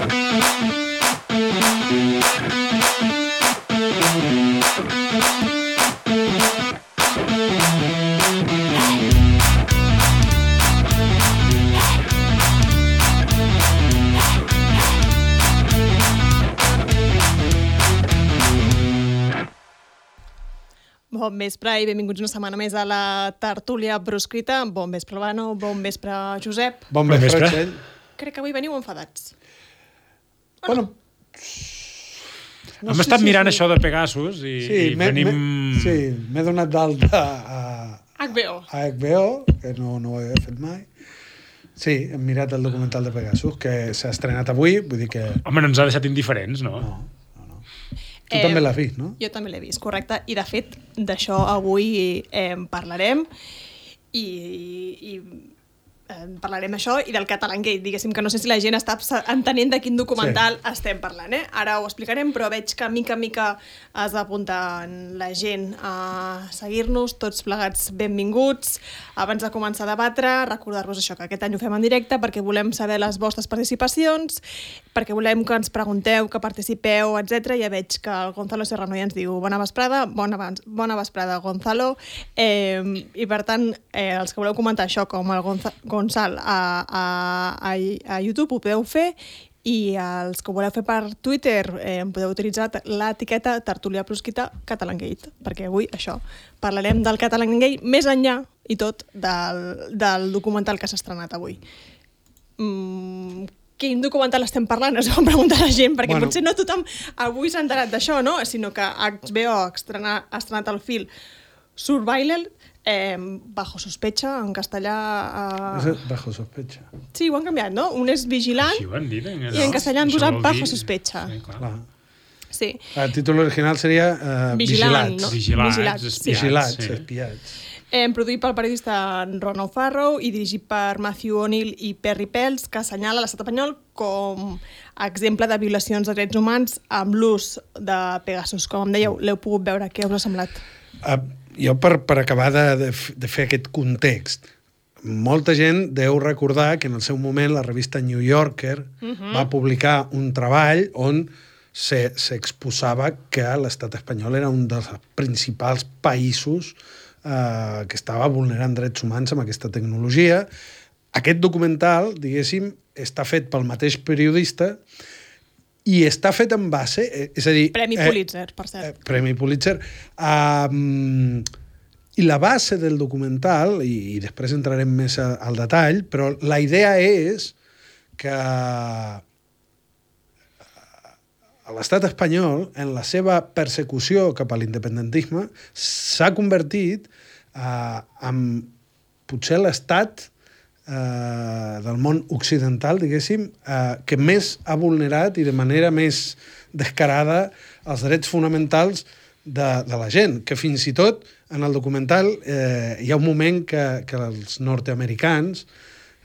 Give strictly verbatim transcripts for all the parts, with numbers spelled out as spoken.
Bon vespre i benvinguts una setmana més a la tertúlia proscrita. Bon vespre, Albano. Bon vespre, Josep. Bon vespre, Txell. Crec que avui veniu enfadats. Bueno, no Hem sé estat si mirant sí. això de Pegasus i, sí, i venim... Sí, m'he donat d'alta a... H B O. A H B O, que no, no ho he fet mai. Sí, hem mirat el documental de Pegasus, que s'ha estrenat avui, vull dir que... Home, no ens ha deixat indiferents, no? No. Tu eh, també l'has vist, no? Jo també l'he vist, correcte. I, de fet, d'això avui eh, parlarem i, i eh, parlarem això i del Catalangate. Diguéssim que no sé si la gent està entenent de quin documental sí. estem parlant. Eh? Ara ho explicarem, però veig que mica en mica has d'apuntar la gent a seguir-nos, tots plegats benvinguts. Abans de començar a debatre, recordar-vos això, que aquest any ho fem en directe perquè volem saber les vostres participacions, perquè volem que ens pregunteu, que participeu, etcètera. Ja veig que el Gonzalo Serrano ja ens diu bona vesprada, bona, bona vesprada, Gonzalo. Eh, I, per tant, eh, els que voleu comentar això, com el Gonza, Gonzal a, a, a, a YouTube, ho podeu fer, i els que ho voleu fer per Twitter eh, podeu utilitzar l'etiqueta Tertúlia Proscrita Catalangate, perquè avui això, parlarem del Catalangate més enllà i tot del, del documental que s'ha estrenat avui. Mm, quin documental estem parlant? Es van preguntar la gent, perquè bueno. potser no tothom avui s'ha enterat d'això, no? Sinó que H B O ha estrenat, ha estrenat el film Survival, eh, Bajo Sospecha, en castellà... Eh... Bajo Sospecha. Sí, ho han canviat, no? Un és Vigilant sí, dir, no? i en castellà han posat Bajo Sospecha. Sí, clar. clar. Sí. El títol original seria uh, Vigilant, Vigilats. no? Vigilats, Vigilats, espiats. Vigilats, sí. espiats. Eh, produït pel periodista Ron O'Farrow i dirigit per Matthew O'Neill i Perry Pels, que assenyala l'estat espanyol com a exemple de violacions de drets humans amb l'ús de Pegasus. Com em dèieu, l'heu pogut veure. Què us ha semblat? Uh, jo, per, per acabar de, de, de fer aquest context, molta gent deu recordar que en el seu moment la revista New Yorker uh-huh. va publicar un treball on s'exposava que l'estat espanyol era un dels principals països Uh, que estava vulnerant drets humans amb aquesta tecnologia. Aquest documental, diguéssim, està fet pel mateix periodista i està fet en base... Eh, és a dir... Premi eh, Pulitzer, per cert. Eh, Premi Pulitzer. Um, I la base del documental, i, i després entrarem més a, al detall, però la idea és que l'estat espanyol, en la seva persecució cap a l'independentisme, s'ha convertit eh, en potser l'estat eh, del món occidental, diguéssim, eh, que més ha vulnerat i de manera més descarada els drets fonamentals de, de la gent, que fins i tot en el documental eh, hi ha un moment que, que els nord-americans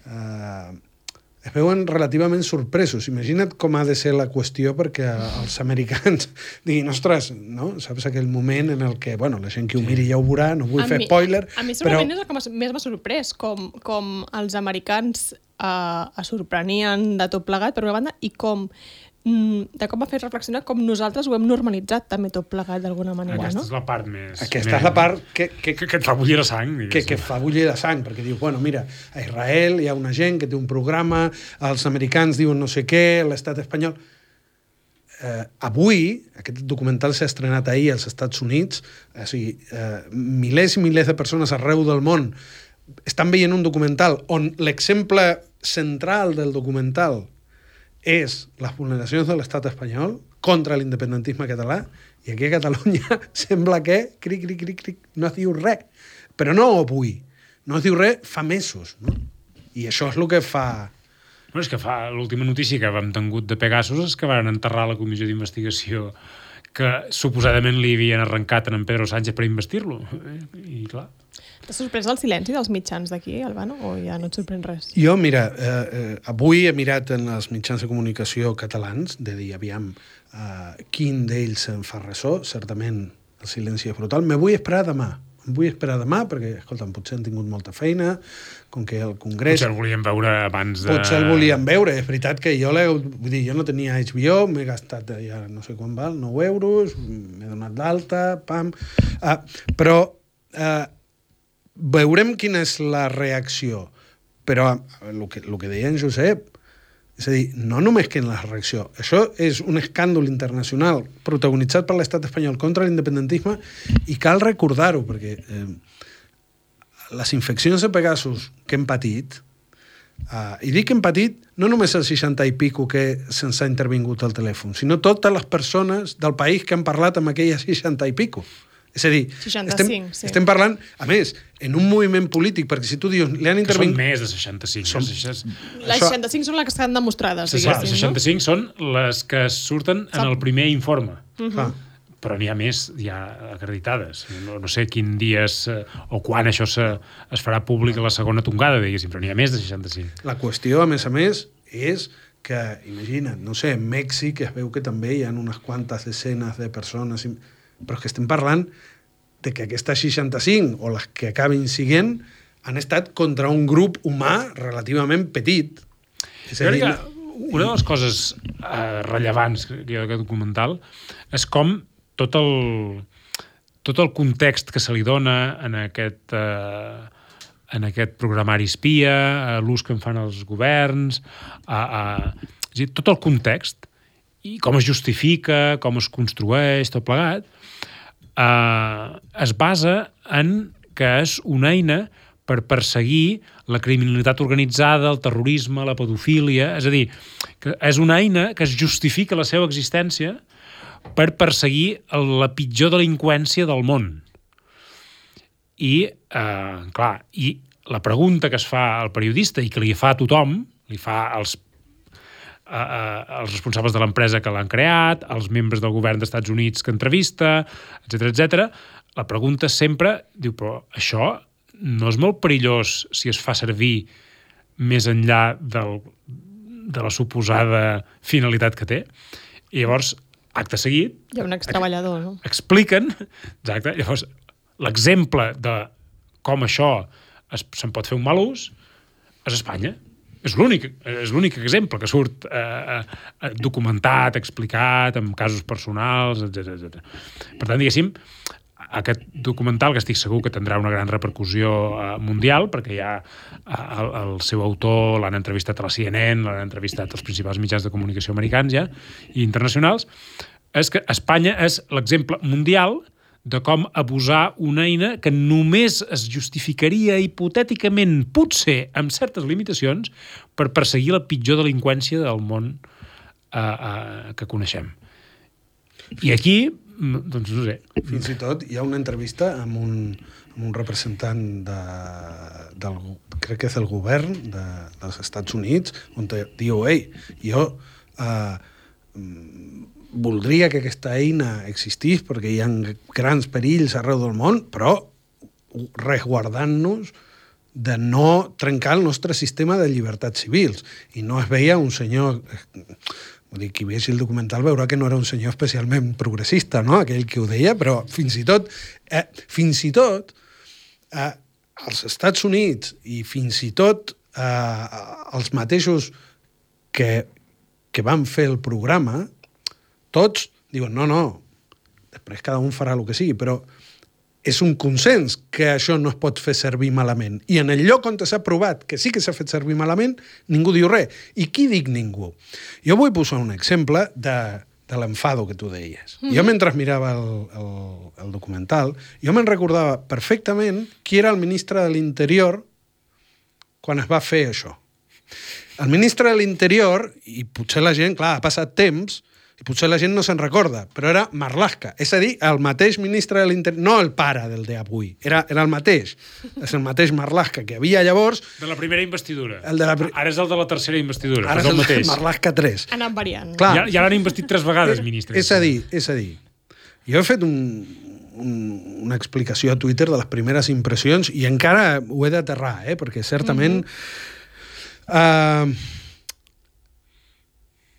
eh, es veuen relativament sorpresos. Imagina't com ha de ser la qüestió perquè els americans diguin, ostres, no? Saps aquell moment en el que, bueno, la gent que ho miri ja ho veurà, no vull a fer mi, spoiler, a mi segurament però... és el que més m'ha sorprès, com, com els americans eh, es sorprenien de tot plegat, per una banda, i com de com m'ha fet reflexionar com nosaltres ho hem normalitzat també tot plegat d'alguna manera, Aquesta no? és la part més... Aquesta més, és la part que... Que, que, que et fa bullir la sang. Que, que fa bullir la sang, perquè diu, bueno, mira, a Israel hi ha una gent que té un programa, els americans diuen no sé què, l'estat espanyol... Eh, avui, aquest documental s'ha estrenat ahir als Estats Units, o sigui, eh, milers i milers de persones arreu del món estan veient un documental on l'exemple central del documental és les vulneracions de l'estat espanyol contra l'independentisme català, i aquí a Catalunya sembla que, cric, cric, cric, cric, no es diu res. Però no avui, no es diu res fa mesos, no? I això és el que fa... No, és que fa l'última notícia que vam tingut de Pegasus és que van enterrar la comissió d'investigació que suposadament li havien arrencat a en Pedro Sánchez per investir-lo. I clar... T'ha sorprès el silenci dels mitjans d'aquí, Albano, o ja no et sorprèn res? Jo, mira, eh, eh, avui he mirat en els mitjans de comunicació catalans, de dir, aviam, eh, quin d'ells en fa ressò, certament el silenci és brutal. Me vull esperar demà, em vull esperar demà, perquè, escolta'm, potser han tingut molta feina, com que el Congrés... Potser el volien veure abans de... Potser el volien veure. És veritat que jo, vull dir, jo no tenia H B O, m'he gastat ja no sé quan val, nou euros, m'he donat d'alta, pam... Uh, però uh, veurem quina és la reacció. Però el que, el que deia en Josep, és a dir, no només que en la reacció. Això és un escàndol internacional protagonitzat per l'estat espanyol contra l'independentisme i cal recordar-ho, perquè eh, les infeccions de Pegasus que hem patit, eh, i dic que hem patit no només el seixanta i pico que se'ns ha intervingut al telèfon, sinó totes les persones del país que han parlat amb aquella seixanta i pico. És a dir, seixanta-cinc, estem, sí. estem parlant, a més, en un moviment polític, perquè si tu dius... Li han intervingut... Que són més de seixanta-cinc. Som... Les seixanta-cinc són les que estan demostrades, Les diguéssim, seixanta-cinc no? Són les que surten en el primer informe. Uh -huh. Però n'hi ha més ja acreditades. No, no sé quin dia es, o quan això se, es farà públic a la segona tongada, diguéssim, però n'hi ha més de seixanta-cinc. La qüestió, a més a més, és que, imagina't, no sé, en Mèxic es veu que també hi ha unes quantes desenes de persones... Però que estem parlant de que aquestes seixanta-cinc, o les que acabin siguent, han estat contra un grup humà relativament petit. És a dir, que una de les coses eh, rellevants que hi ha d'aquest documental és com tot el, tot el context que se li dona en aquest, eh, en aquest programari espia, l'ús que en fan els governs, a, a, és a dir, tot el context, i com es justifica, com es construeix, tot plegat, eh, es basa en que és una eina per perseguir la criminalitat organitzada, el terrorisme, la pedofília, és a dir, que és una eina que es justifica la seva existència per perseguir la pitjor delinqüència del món. I, eh, clar, i la pregunta que es fa al periodista i que li fa a tothom, li fa als als responsables de l'empresa que l'han creat, als membres del govern dels Estats Units que entrevista, etcètera, etcètera. La pregunta sempre diu, però això no és molt perillós si es fa servir més enllà del, de la suposada finalitat que té? I llavors, acte seguit... Hi ha un extreballador, no? Expliquen, exacte, llavors, l'exemple de com això se'n pot fer un mal ús és Espanya. És l'únic, és l'únic exemple que surt eh, eh, documentat, explicat, amb casos personals, etcètera, etcètera. Per tant, diguéssim, aquest documental, que estic segur que tindrà una gran repercussió eh, mundial, perquè ja eh, el, el seu autor l'han entrevistat a la C N N, l'han entrevistat als principals mitjans de comunicació americans ja, i internacionals, és que Espanya és l'exemple mundial de com abusar una eina que només es justificaria hipotèticament, potser, amb certes limitacions, per perseguir la pitjor delinqüència del món eh, eh, que coneixem. I aquí, doncs no sé... Fins i tot hi ha una entrevista amb un, amb un representant de, del, crec que és el govern de, dels Estats Units, on te diu, ei, jo... Eh, voldria que aquesta eina existís perquè hi ha grans perills arreu del món, però resguardant-nos de no trencar el nostre sistema de llibertats civils. I no es veia un senyor... Vull dir, qui vegi el documental veurà que no era un senyor especialment progressista, no?, aquell que ho deia, però fins i tot, eh, fins i tot eh, als Estats Units i fins i tot eh, els mateixos que, que van fer el programa, tots diuen, no, no, després cada un farà el que sigui, però és un consens que això no es pot fer servir malament. I en el lloc on s'ha provat que sí que s'ha fet servir malament, ningú diu res. I qui dic ningú? Jo vull posar un exemple de, de l'enfado que tu deies. Mm-hmm. Jo, mentre mirava el, el, el documental, jo me'n recordava perfectament qui era el ministre de l'Interior quan es va fer això. El ministre de l'Interior, i potser la gent, clar, ha passat temps, i potser la gent no se'n recorda, però era Marlaska, és a dir, el mateix ministre de l'Interior, no el pare del d'avui, era, era el mateix, és el mateix Marlaska que havia llavors... De la primera investidura. El de la pri... Ara és el de la tercera investidura, ara és el mateix. Marlaska tres. Ha anat variant. Clar, ja ja l'han investit tres vegades, ministre. És a dir, és a dir, jo he fet un, un, una explicació a Twitter de les primeres impressions i encara ho he d'aterrar, eh? Perquè certament... Mm-hmm. Uh,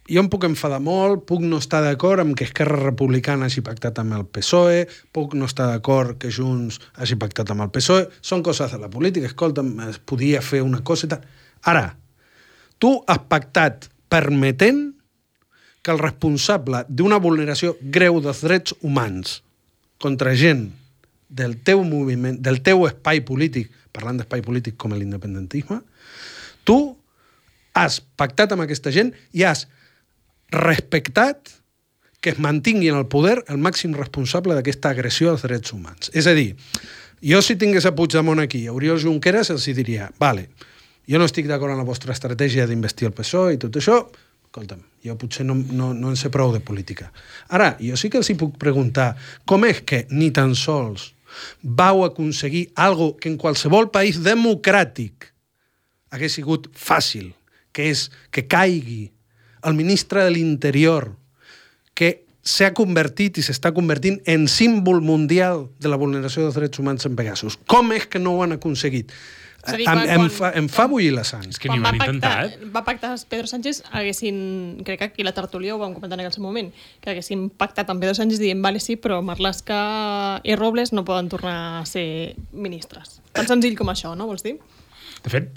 jo em puc enfadar molt, puc no estar d'acord amb que Esquerra Republicana hagi pactat amb el P S O E, puc no estar d'acord que Junts hagi pactat amb el P S O E, són coses de la política, escolta'm, es podia fer una cosa i tal. Ara, tu has pactat permetent que el responsable d'una vulneració greu dels drets humans contra gent del teu moviment, del teu espai polític, parlant d'espai polític com l'independentisme, tu has pactat amb aquesta gent i has respectat que es mantingui en el poder el màxim responsable d'aquesta agressió als drets humans. És a dir, jo si tingués a Puigdemont aquí, a Oriol Junqueras, els diria, vale, jo no estic d'acord amb la vostra estratègia d'investir el P S O E i tot això, escolta'm, jo potser no, no, no en sé prou de política. Ara, jo sí que els hi puc preguntar, com és que ni tan sols vau aconseguir algo que en qualsevol país democràtic hagués sigut fàcil, que és que caigui el ministre de l'Interior, que s'ha convertit i s'està convertint en símbol mundial de la vulneració dels drets humans en Pegasus. Com és que no ho han aconseguit? dir, em, quan, em, fa, em fa bullir la sang. És que ni ho han intentat. Va pactar Pedro Sánchez, haguessin, crec que aquí la tertúlia ho vam comentar en aquell moment, que haguessin pactat amb Pedro Sánchez dient, vale, sí, però Marlaska i Robles no poden tornar a ser ministres. Tan senzill com això, no, vols dir? De fet,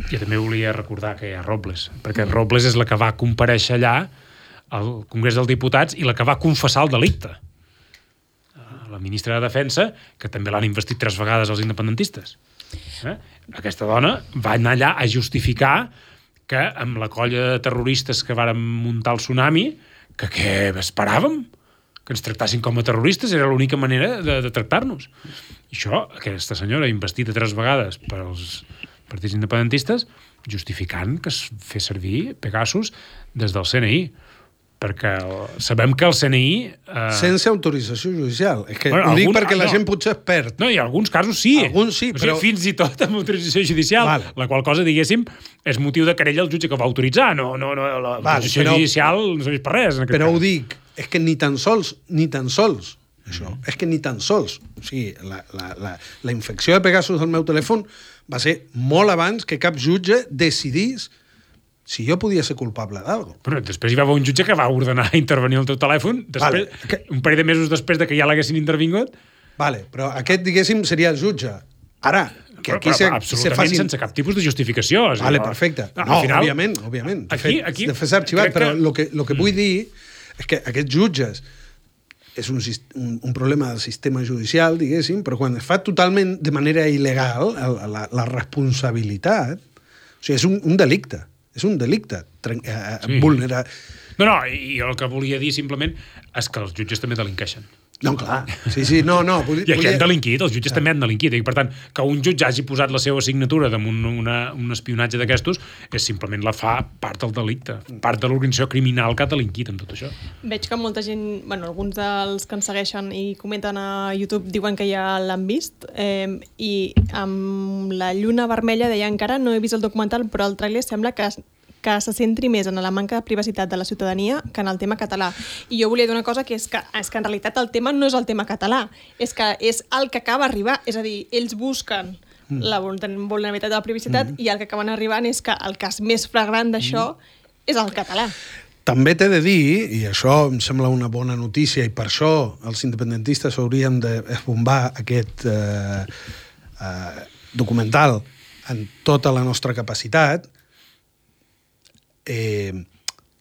jo també volia recordar que hi ha Robles, perquè Robles és la que va comparèixer allà al Congrés dels Diputats i la que va confessar el delicte. La ministra de Defensa, que també l'han investit tres vegades els independentistes. Eh? Aquesta dona va anar allà a justificar que amb la colla de terroristes que varen muntar el tsunami, que què esperàvem? Que ens tractassin com a terroristes, era l'única manera de, de tractar-nos. I això, aquesta senyora investida tres vegades per als partits independentistes, justificant que es fes servir Pegasus des del C N I. Perquè sabem que el C N I... Eh... Sense autorització judicial. És que bueno, ho dic algun... perquè la no. gent potser es perd. No, i en alguns casos sí. Alguns sí, o sigui, però... fins i tot amb autorització judicial, vale. La qual cosa, diguéssim, és motiu de querella al jutge que va autoritzar. No, no, no, la vale, autorització però... judicial no serveix per res. En aquest però cas. ho dic, és que ni tan sols, ni tan sols, això, mm. és que ni tan sols. O sigui, la, la, la, la infecció de Pegasus al meu telèfon va ser molt abans que cap jutge decidís si jo podia ser culpable d'algo. Però després hi va haver un jutge que va ordenar intervenir el teu telèfon, després, vale. que... un parell de mesos després de que ja l'haguessin intervingut. Vale, però aquest, diguéssim, seria el jutge. Ara, que però, aquí però, se, absolutament se facin... sense cap tipus de justificació. O sigui, vale, no, perfecte. No, no final, òbviament, òbviament. De aquí, fet, aquí, de fet s'ha arxivat, però el que, lo que vull mm. dir és que aquests jutges és un, un, un problema del sistema judicial, diguéssim, però quan es fa totalment de manera il·legal, la, la, la responsabilitat, o sigui, és un, un delicte. És un delicte eh, sí. vulnerar... No, no, i el que volia dir simplement és que els jutges també delinqueixen. No, clar. Sí, sí, no, no. Volia... I aquí han delinquit, els jutges ah. també han delinquit. I per tant, que un jutge hagi posat la seva signatura damunt una, un espionatge d'aquestos és simplement la fa part del delicte, part de l'organització criminal que ha delinquit en tot això. Veig que molta gent, bueno, alguns dels que ens segueixen i comenten a YouTube diuen que ja l'han vist, eh, i amb la lluna vermella deia encara no he vist el documental, però el tràiler sembla que que se centri més en la manca de privacitat de la ciutadania que en el tema català. I jo volia dir una cosa, que és que, és que en realitat el tema no és el tema català, és que és el que acaba arribar, és a dir, ells busquen mm. la vulnerabilitat de la privacitat mm. i el que acaben arribant és que el cas més flagrant d'això mm. és el català. També t'he de dir, i això em sembla una bona notícia, i per això els independentistes haurien d'esbombar aquest eh, eh, documental en tota la nostra capacitat, Eh,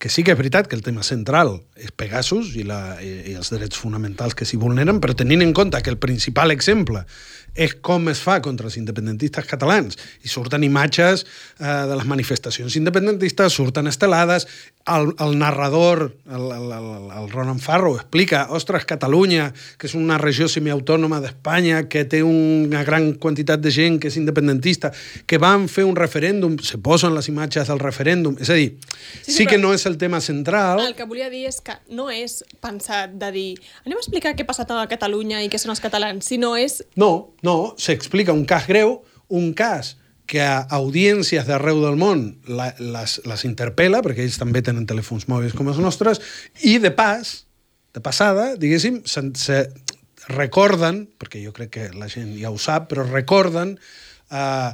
que sí que és veritat que el tema central és Pegasus i, la, i, i els drets fonamentals que s'hi vulneren, però tenint en compte que el principal exemple és com es fa contra els independentistes catalans, i surten imatges eh, de les manifestacions independentistes, surten estelades, el, el narrador, el, el, el, el Ronan Farrow, explica, ostres, Catalunya, que és una regió semiautònoma d'Espanya, que té una gran quantitat de gent que és independentista, que van fer un referèndum, se posen les imatges del referèndum, és a dir, sí, sí, sí que no és el tema central. El que volia dir és que no és pensar de dir anem a explicar què ha passat a Catalunya i què són els catalans, sinó és... No, no, s'explica un cas greu, un cas que a audiències d'arreu del món la, les, les interpel·la, perquè ells també tenen telèfons mòbils com els nostres, i de pas, de passada, diguéssim, se, se recorden, perquè jo crec que la gent ja ho sap, però recorden eh,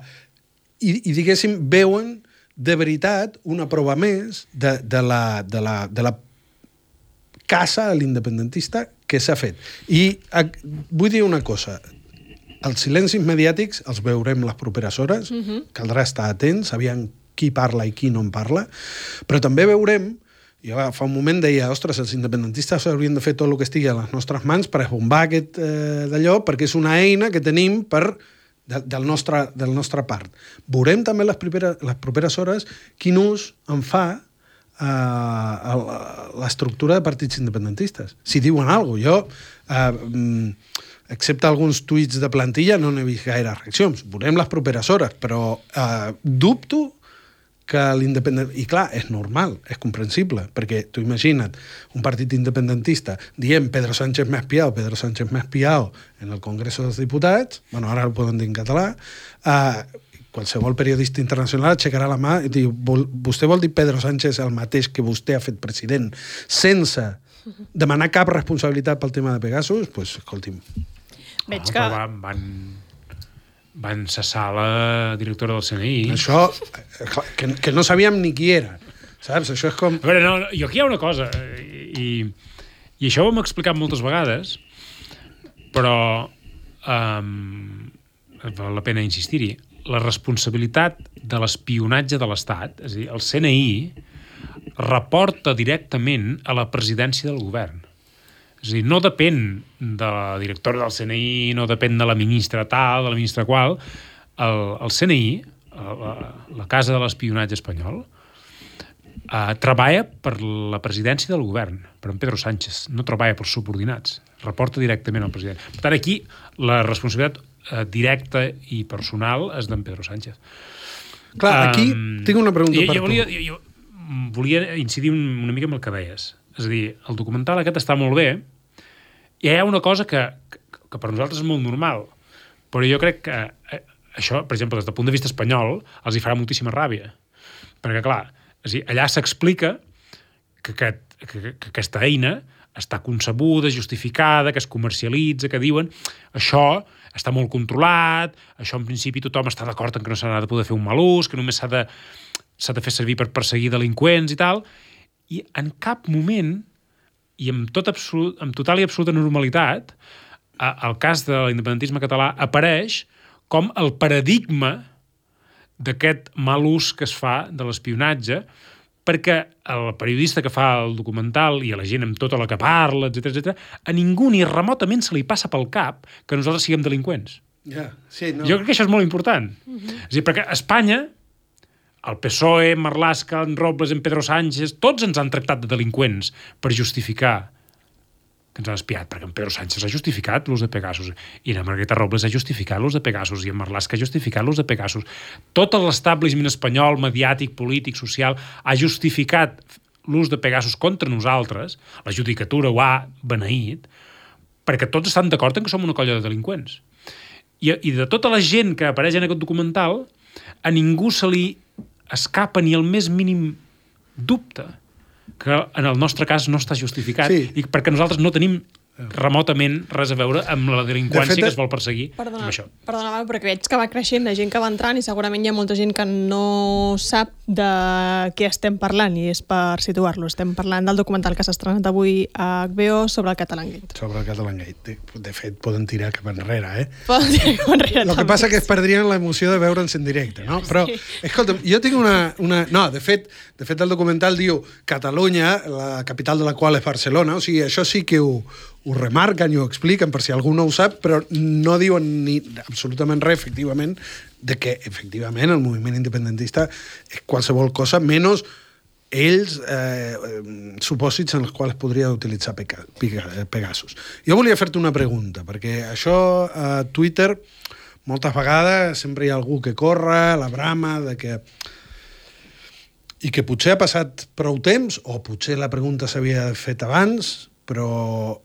i, i diguéssim, veuen de veritat una prova més de, de, la, de, la, de la caça a l'independentista que s'ha fet. I a, vull dir una cosa. Els silencis mediàtics els veurem les properes hores, uh-huh. Caldrà estar atents, sabien qui parla i qui no en parla, però també veurem, jo fa un moment deia, ostres, els independentistes haurien de fer tot el que estigui a les nostres mans per esbombar aquest eh, d'allò, perquè és una eina que tenim per, de, del, nostre, del nostre part. Veurem també les properes, les properes hores quin ús en fa eh, l'estructura de partits independentistes. Si diuen alguna cosa, jo... Eh, excepte alguns tuits de plantilla, no n'he vist gaire reaccions. Veurem les properes hores, però eh, dubto que l'independent... I clar, és normal, és comprensible, perquè tu imagina't un partit independentista dient Pedro Sánchez m'ha espiado, Pedro Sánchez m'ha espiado en el Congreso dels Diputats, bueno, ara ho poden dir en català, eh, qualsevol periodista internacional aixecarà la mà i diu, vostè vol dir Pedro Sánchez el mateix que vostè ha fet president sense demanar cap responsabilitat pel tema de Pegasus? Doncs, pues, escolti'm, Veig oh, que... Van, van, van cessar la directora del C N I. Això, que, que no sabíem ni qui era, saps? Això és com... A veure, no, jo aquí hi ha una cosa, i, i això ho hem explicat moltes vegades, però um, val la pena insistir-hi. La responsabilitat de l'espionatge de l'Estat, és a dir, el C N I reporta directament a la presidència del govern. És a dir, no depèn de la directora del C N I, no depèn de la ministra tal, de la ministra qual. El, el C N I, la, la Casa de l'Espionatge Espanyol, eh, treballa per la presidència del govern, per en Pedro Sánchez, no treballa pels subordinats, reporta directament al president. Per tant, aquí la responsabilitat eh, directa i personal és d'en Pedro Sánchez. Clar, aquí um, tinc una pregunta jo, per jo volia, tu. Jo, jo volia incidir una mica en el que deies. És a dir, el documental aquest està molt bé i hi ha una cosa que, que, que per nosaltres és molt normal, però jo crec que eh, això, per exemple, des del punt de vista espanyol, els hi farà moltíssima ràbia. Perquè, clar, és a dir, allà s'explica que, que, que, que aquesta eina està concebuda, justificada, que es comercialitza, que diuen això està molt controlat, això en principi tothom està d'acord en que no s'ha de poder fer un mal ús, que només s'ha de, s'ha de fer servir per perseguir delinqüents i tal, i en cap moment, i amb, tot absolut, amb total i absoluta normalitat, el cas de l'independentisme català apareix com el paradigma d'aquest mal ús que es fa de l'espionatge, perquè el periodista que fa el documental i a la gent amb tota la que parla, etcètera, etcètera, a ningú ni remotament se li passa pel cap que nosaltres siguem delinqüents. Yeah, sí, no. Jo crec que això és molt important. Uh-huh. És a dir, perquè a Espanya, el P S O E, Marlaska, en Robles, en Pedro Sánchez, tots ens han tractat de delinqüents per justificar que ens han espiat, perquè en Pedro Sánchez ha justificat l'ús de Pegasus, i la Margarita Robles ha justificat l'ús de Pegasus, i en Marlaska ha justificat l'ús de Pegasus. Tot l'establishment espanyol, mediàtic, polític, social, ha justificat l'ús de Pegasus contra nosaltres, la judicatura ho ha beneït, perquè tots estan d'acord en que som una colla de delinqüents. I, i de tota la gent que apareix en aquest documental, a ningú se li escapa ni el més mínim dubte que en el nostre cas no està justificat, sí. I perquè nosaltres no tenim remotament res a veure amb la delinqüència de fet, que es vol perseguir. Perdona, amb això. Perdona, perquè veig que va creixent la gent que va entrant i segurament hi ha molta gent que no sap de què estem parlant, i és per situar-lo. Estem parlant del documental que s'ha estrenat avui a H B O sobre el Catalangate. Sobre el Catalangate. De fet, poden tirar cap enrere, eh? Poden tirar cap enrere. El que passa que es perdrien l'emoció de veure'ns en directe, no? Però, sí. Escolta'm, jo tinc una... una... No, de fet, de fet, el documental diu Catalunya, la capital de la qual és Barcelona, o sigui, això sí que ho ho remarquen i ho expliquen per si algú no ho sap, però no diuen ni absolutament res, efectivament, de que, efectivament, el moviment independentista és qualsevol cosa, menys ells eh, supòsits en els quals podria utilitzar Pegasus. Jo volia fer-te una pregunta, perquè això a Twitter moltes vegades sempre hi ha algú que corre, la brama, de que... i que potser ha passat prou temps, o potser la pregunta s'havia fet abans, però...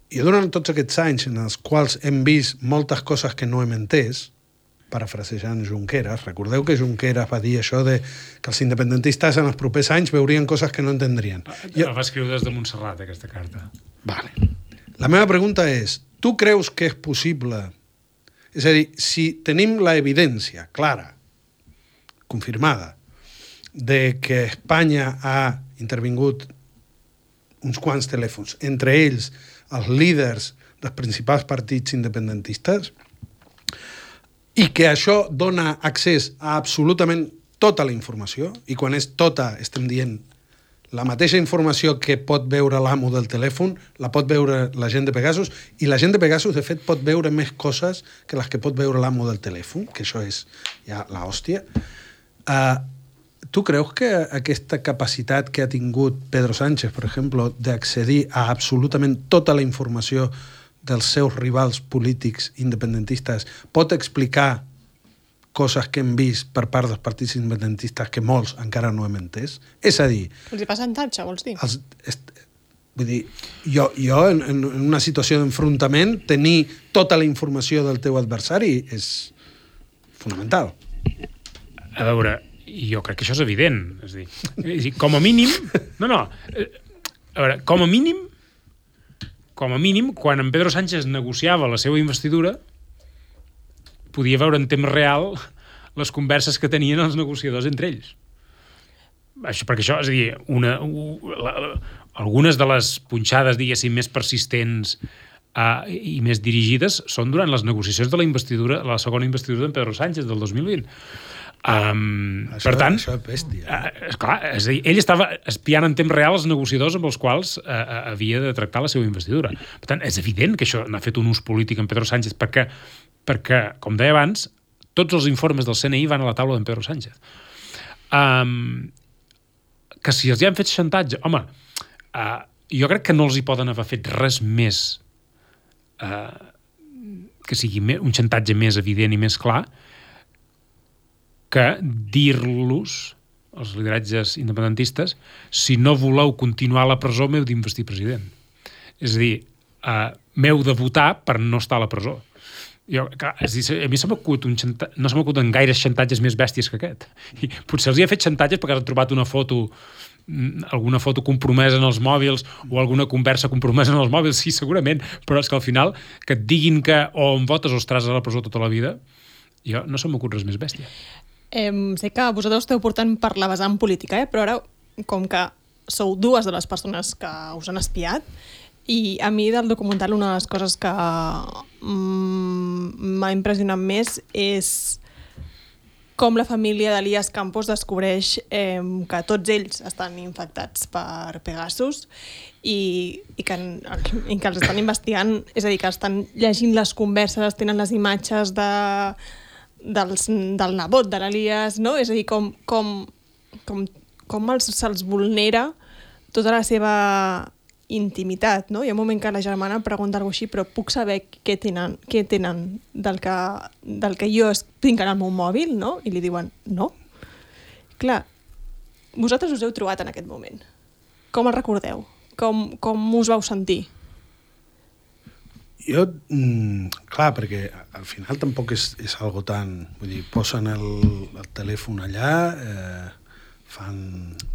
I durant tots aquests anys en els quals hem vist moltes coses que no hem entès, parafrasejant Junqueras, recordeu que Junqueras va dir això de que els independentistes en els propers anys veurien coses que no entendrien. La va escriure des de Montserrat, aquesta carta. Vale. La meva pregunta és, tu creus que és possible? És a dir, si tenim la evidència clara confirmada, de que Espanya ha intervingut uns quants telèfons, entre ells els líders dels principals partits independentistes, i que això dona accés a absolutament tota la informació, i quan és tota estem dient la mateixa informació que pot veure l'amo del telèfon, la pot veure la gent de Pegasus, i la gent de Pegasus, de fet, pot veure més coses que les que pot veure l'amo del telèfon, que això és ja l'hòstia. Uh, tu creus que aquesta capacitat que ha tingut Pedro Sánchez, per exemple, d'accedir a absolutament tota la informació dels seus rivals polítics independentistes pot explicar coses que hem vist per part dels partits independentistes que molts encara no hem entès? És a dir... Els hi fa xantatge, vols dir? Els, est, vull dir, jo, jo en, en una situació d'enfrontament, tenir tota la informació del teu adversari és fonamental. A veure, jo crec que això és evident. És a dir, és a dir com a mínim... No, no. A veure, com a mínim, com a mínim, quan en Pedro Sánchez negociava la seva investidura, podia veure en temps real les converses que tenien els negociadors entre ells. Això, perquè això, és a dir, una, la, la, algunes de les punxades, diguéssim, més persistents uh, i més dirigides són durant les negociacions de la investidura, la segona investidura d'en Pedro Sánchez del dos mil vint. Um, això, per tant, això és bèstia. Uh, esclar, és a dir, ell estava espiant en temps real els negociadors amb els quals uh, uh, havia de tractar la seva investidura. Per tant, és evident que això n'ha fet un ús polític en Pedro Sánchez, perquè perquè, com deia abans, tots els informes del C N I van a la taula d'en Pedro Sánchez. Um, que si els hi han fet xantatge... Home, uh, jo crec que no els hi poden haver fet res més uh, que sigui un xantatge més evident i més clar que dir-los, els lideratges independentistes, si no voleu continuar a la presó, m'heu d'investir president. És a dir, uh, m'heu de votar per no estar a la presó. Jo, clar, és dir, a mi se m'acut un xanta... no se m'acuten gaires xantatges més bèsties que aquest. I potser els hi ha fet xantatges perquè han trobat una foto, alguna foto compromesa en els mòbils o alguna conversa compromesa en els mòbils, sí, segurament, però és que al final que et diguin que o em votes o estaràs a la presó tota la vida, jo no se m'acut res més bèstia. Eh, sé que vosaltres esteu portant per la vessant política, eh? Però ara, com que sou dues de les persones que us han espiat, i a mi del documental una de les coses que mm, m'ha impressionat més és com la família d'Elías Campos descobreix eh, que tots ells estan infectats per Pegasus i, i, que, i que els estan investigant, és a dir, que estan llegint les converses, tenen les imatges de, dels, del nebot de l'Elías, no? És a dir, com, com, com, com els, se'ls vulnera tota la seva intimitat, no? Hi ha un moment que la germana pregunta alguna cosa així, però puc saber què tenen, què tenen del, que, del que jo tinc en el meu mòbil, no? I li diuen, no. Clar, vosaltres us heu trobat en aquest moment. Com el recordeu? Com, com us vau sentir? Jo, mm, clar, perquè al final tampoc és, és algo tan... Vull dir, posen el, el telèfon allà... Eh, fan...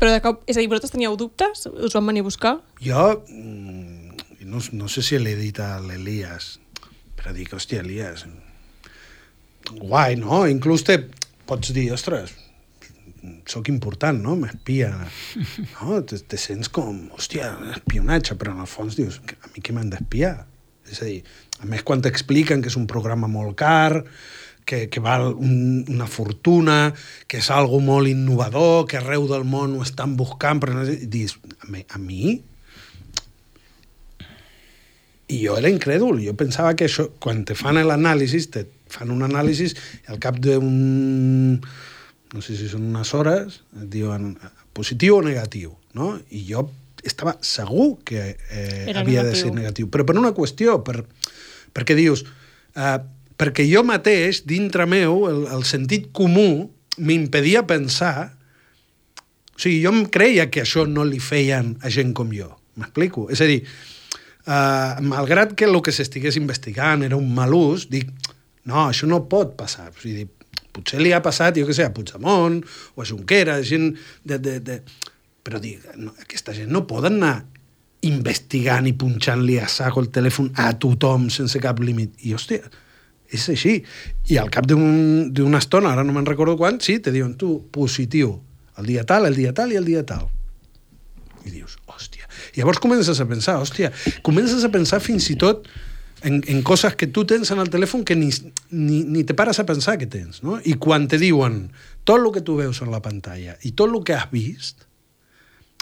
Però de cop, és a dir, vosaltres teníeu dubtes? Us van venir a buscar? Jo, no, no sé si l'he dit a l'Elias, però dic, hòstia, Elias, guai, no? Inclús te pots dir, ostres, sóc important, no? M'espia, no? Te, te sents com, hòstia, espionatge, però en el fons dius, a mi què m'han d'espiar? És a dir, a més, quan t'expliquen que és un programa molt car, que, que val un, una fortuna, que és algo molt innovador, que arreu del món ho estan buscant, però no, dius, a mi, a mi? I jo era incrèdul, jo pensava que això, quan te fan l'anàlisi, te fan un anàlisi i al cap d'un, no sé si són unes hores, et diuen positiu o negatiu, no? I jo estava segur que eh, havia negatiu. de ser negatiu, però per una qüestió, per, perquè dius... Eh, perquè jo mateix, dintre meu, el, el sentit comú m'impedia pensar... O sigui, jo em creia que això no li feien a gent com jo. M'explico? És a dir, uh, malgrat que el que s'estigués investigant era un mal ús, dic, no, això no pot passar. O sigui, potser li ha passat, jo què sé, a Puigdemont o a Junqueras, gent de... de, de... Però dic, no, aquesta gent no poden anar investigant i punxant-li a saco el telèfon a tothom sense cap límit. I, hòstia... És així. I al cap d'una un, estona, ara no me'n recordo quan, sí, te diuen, tu, positiu, el dia tal, el dia tal i el dia tal. I dius, hòstia. I llavors comences a pensar, hòstia, comences a pensar fins i tot en, en coses que tu tens en el telèfon que ni, ni, ni te pares a pensar que tens, no? I quan te diuen tot el que tu veus en la pantalla i tot el que has vist,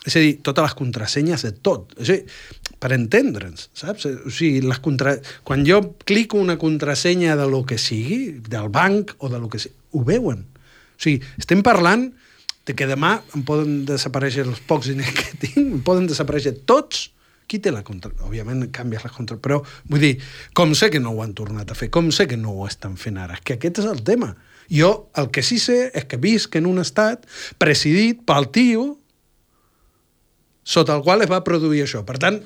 és a dir, totes les contrasenyes de tot, és a dir, per entendre'ns, saps? O sigui, les contra... quan jo clico una contrasenya de lo que sigui, del banc o de lo que sigui, ho veuen. O sigui, estem parlant de que demà em poden desaparèixer els pocs diners que tinc, em poden desaparèixer tots. Qui té la contra... Òbviament canvies les contra... Però, vull dir, com sé que no ho han tornat a fer, com sé que no ho estan fent ara, és que aquest és el tema. Jo el que sí sé és que visc en un estat presidit pel tio sota el qual es va produir això. Per tant,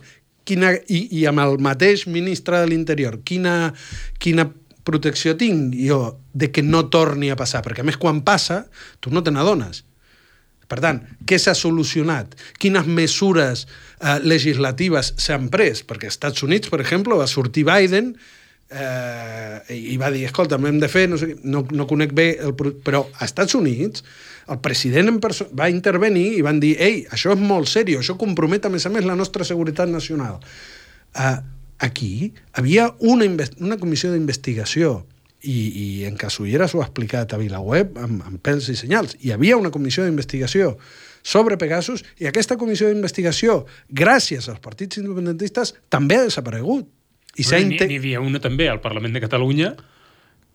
quina... I, i amb el mateix ministre de l'Interior, quina, quina protecció tinc jo de que no torni a passar? Perquè, a més, quan passa, tu no te n'adones. Per tant, què s'ha solucionat? Quines mesures eh, legislatives s'han pres? Perquè als Estats Units, per exemple, va sortir Biden eh, i va dir, escolta, hem de fer, no sé, no, no conec bé, el, però als Estats Units el president en perso- va intervenir i van dir, ei, això és molt seriós, això compromet a més a més la nostra seguretat nacional. Eh, aquí havia una, invest- una comissió d'investigació i, i en Casulleras ho ha explicat a VilaWeb amb, amb pèls i senyals. Hi havia una comissió d'investigació sobre Pegasus i aquesta comissió d'investigació, gràcies als partits independentistes, també ha desaparegut. I s'ha N'hi inte... havia una també al Parlament de Catalunya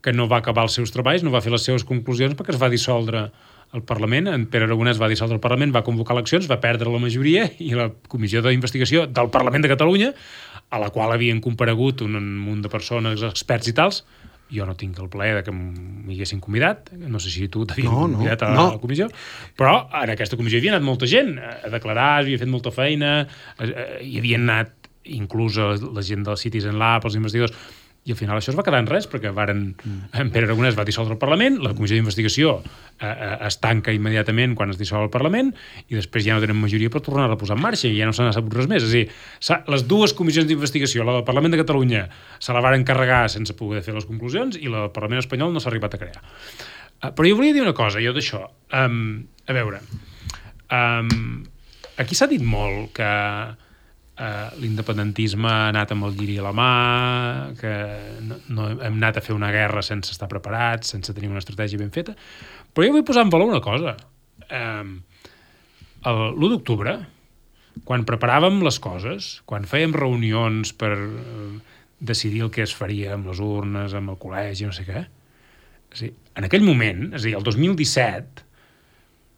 que no va acabar els seus treballs, no va fer les seves conclusions perquè es va dissoldre el Parlament. En Pere Aragonès va dissoldre el Parlament, va convocar eleccions, va perdre la majoria i la comissió d'investigació del Parlament de Catalunya, a la qual havien comparegut un munt de persones, experts i tals. Jo no tinc el plaer de que m'hi haguessin convidat, no sé si tu t'havien no, convidat no, a la no. comissió, però en aquesta comissió hi havia anat molta gent a declarar, havia fet molta feina, hi havien anat inclús la gent del Citizen Lab, els investigadors, i al final això es va quedar en res, perquè varen, mm. en Pere Aragonès va dissoldre el Parlament, la comissió d'investigació eh, eh, es tanca immediatament quan es dissol el Parlament, i després ja no tenen majoria per tornar-la a posar en marxa, i ja no se n'ha sabut res més. És a dir, les dues comissions d'investigació, la del Parlament de Catalunya, se la varen carregar sense poder fer les conclusions, i la del Parlament espanyol no s'ha arribat a crear. Uh, però jo volia dir una cosa, jo d'això. Um, a veure, um, aquí s'ha dit molt que Uh, l'independentisme ha anat amb el lliri a la mà, que no, no hem anat a fer una guerra sense estar preparats, sense tenir una estratègia ben feta. Però jo vull posar en valor una cosa. Um, l'u d'octubre, quan preparàvem les coses, quan fèiem reunions per uh, decidir el que es faria amb les urnes, amb el col·legi, no sé què, és dir, en aquell moment, és a dir, el dos mil disset,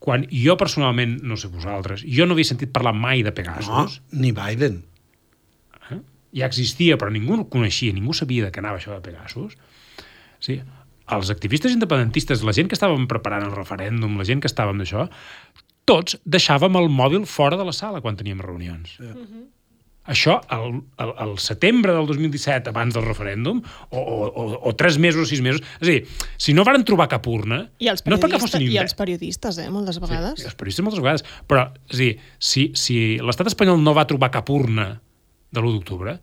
quan jo personalment, no sé vosaltres, jo no havia sentit parlar mai de Pegasus. No, ni Biden. Eh? Ja existia, però ningú el coneixia, ningú sabia de què anava això de Pegasus. Sí, els activistes independentistes, la gent que estàvem preparant el referèndum, la gent que estàvem d'això, tots deixàvem el mòbil fora de la sala quan teníem reunions. Sí. Uh-huh. Això, el, el, el setembre del dos mil disset, abans del referèndum, o, o, o tres mesos o sis mesos, és a dir, si no varen trobar cap urna, I els no és perquè fossin I els periodistes, eh, moltes vegades. Sí, els periodistes moltes vegades. Però, és a dir, si, si l'estat espanyol no va trobar cap urna de l'u d'octubre,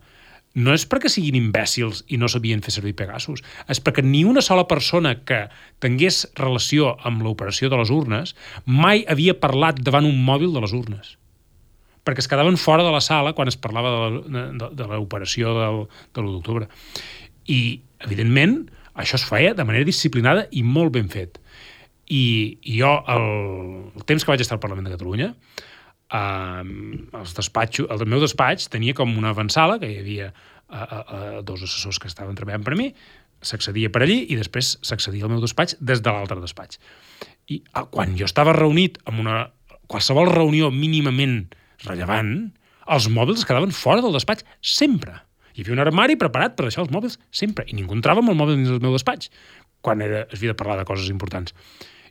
no és perquè siguin imbècils i no sabien fer servir Pegasus, és perquè ni una sola persona que tingués relació amb l'operació de les urnes mai havia parlat davant un mòbil de les urnes, perquè es quedaven fora de la sala quan es parlava de, de, de l'operació del, de l'u d'octubre. I, evidentment, això es feia de manera disciplinada i molt ben fet. I, i jo, el, el temps que vaig estar al Parlament de Catalunya, eh, els despatxos, el meu despatx tenia com una avantsala, que hi havia eh, eh, dos assessors que estaven treballant per a mi, s'accedia per allí i després s'accedia al meu despatx des de l'altre despatx. I eh, quan jo estava reunit amb una qualsevol reunió mínimament rellevant, els mòbils es quedaven fora del despatx sempre. Hi havia un armari preparat per deixar els mòbils sempre, i ningú entrava amb el mòbil dins del meu despatx quan era, es havia de parlar de coses importants.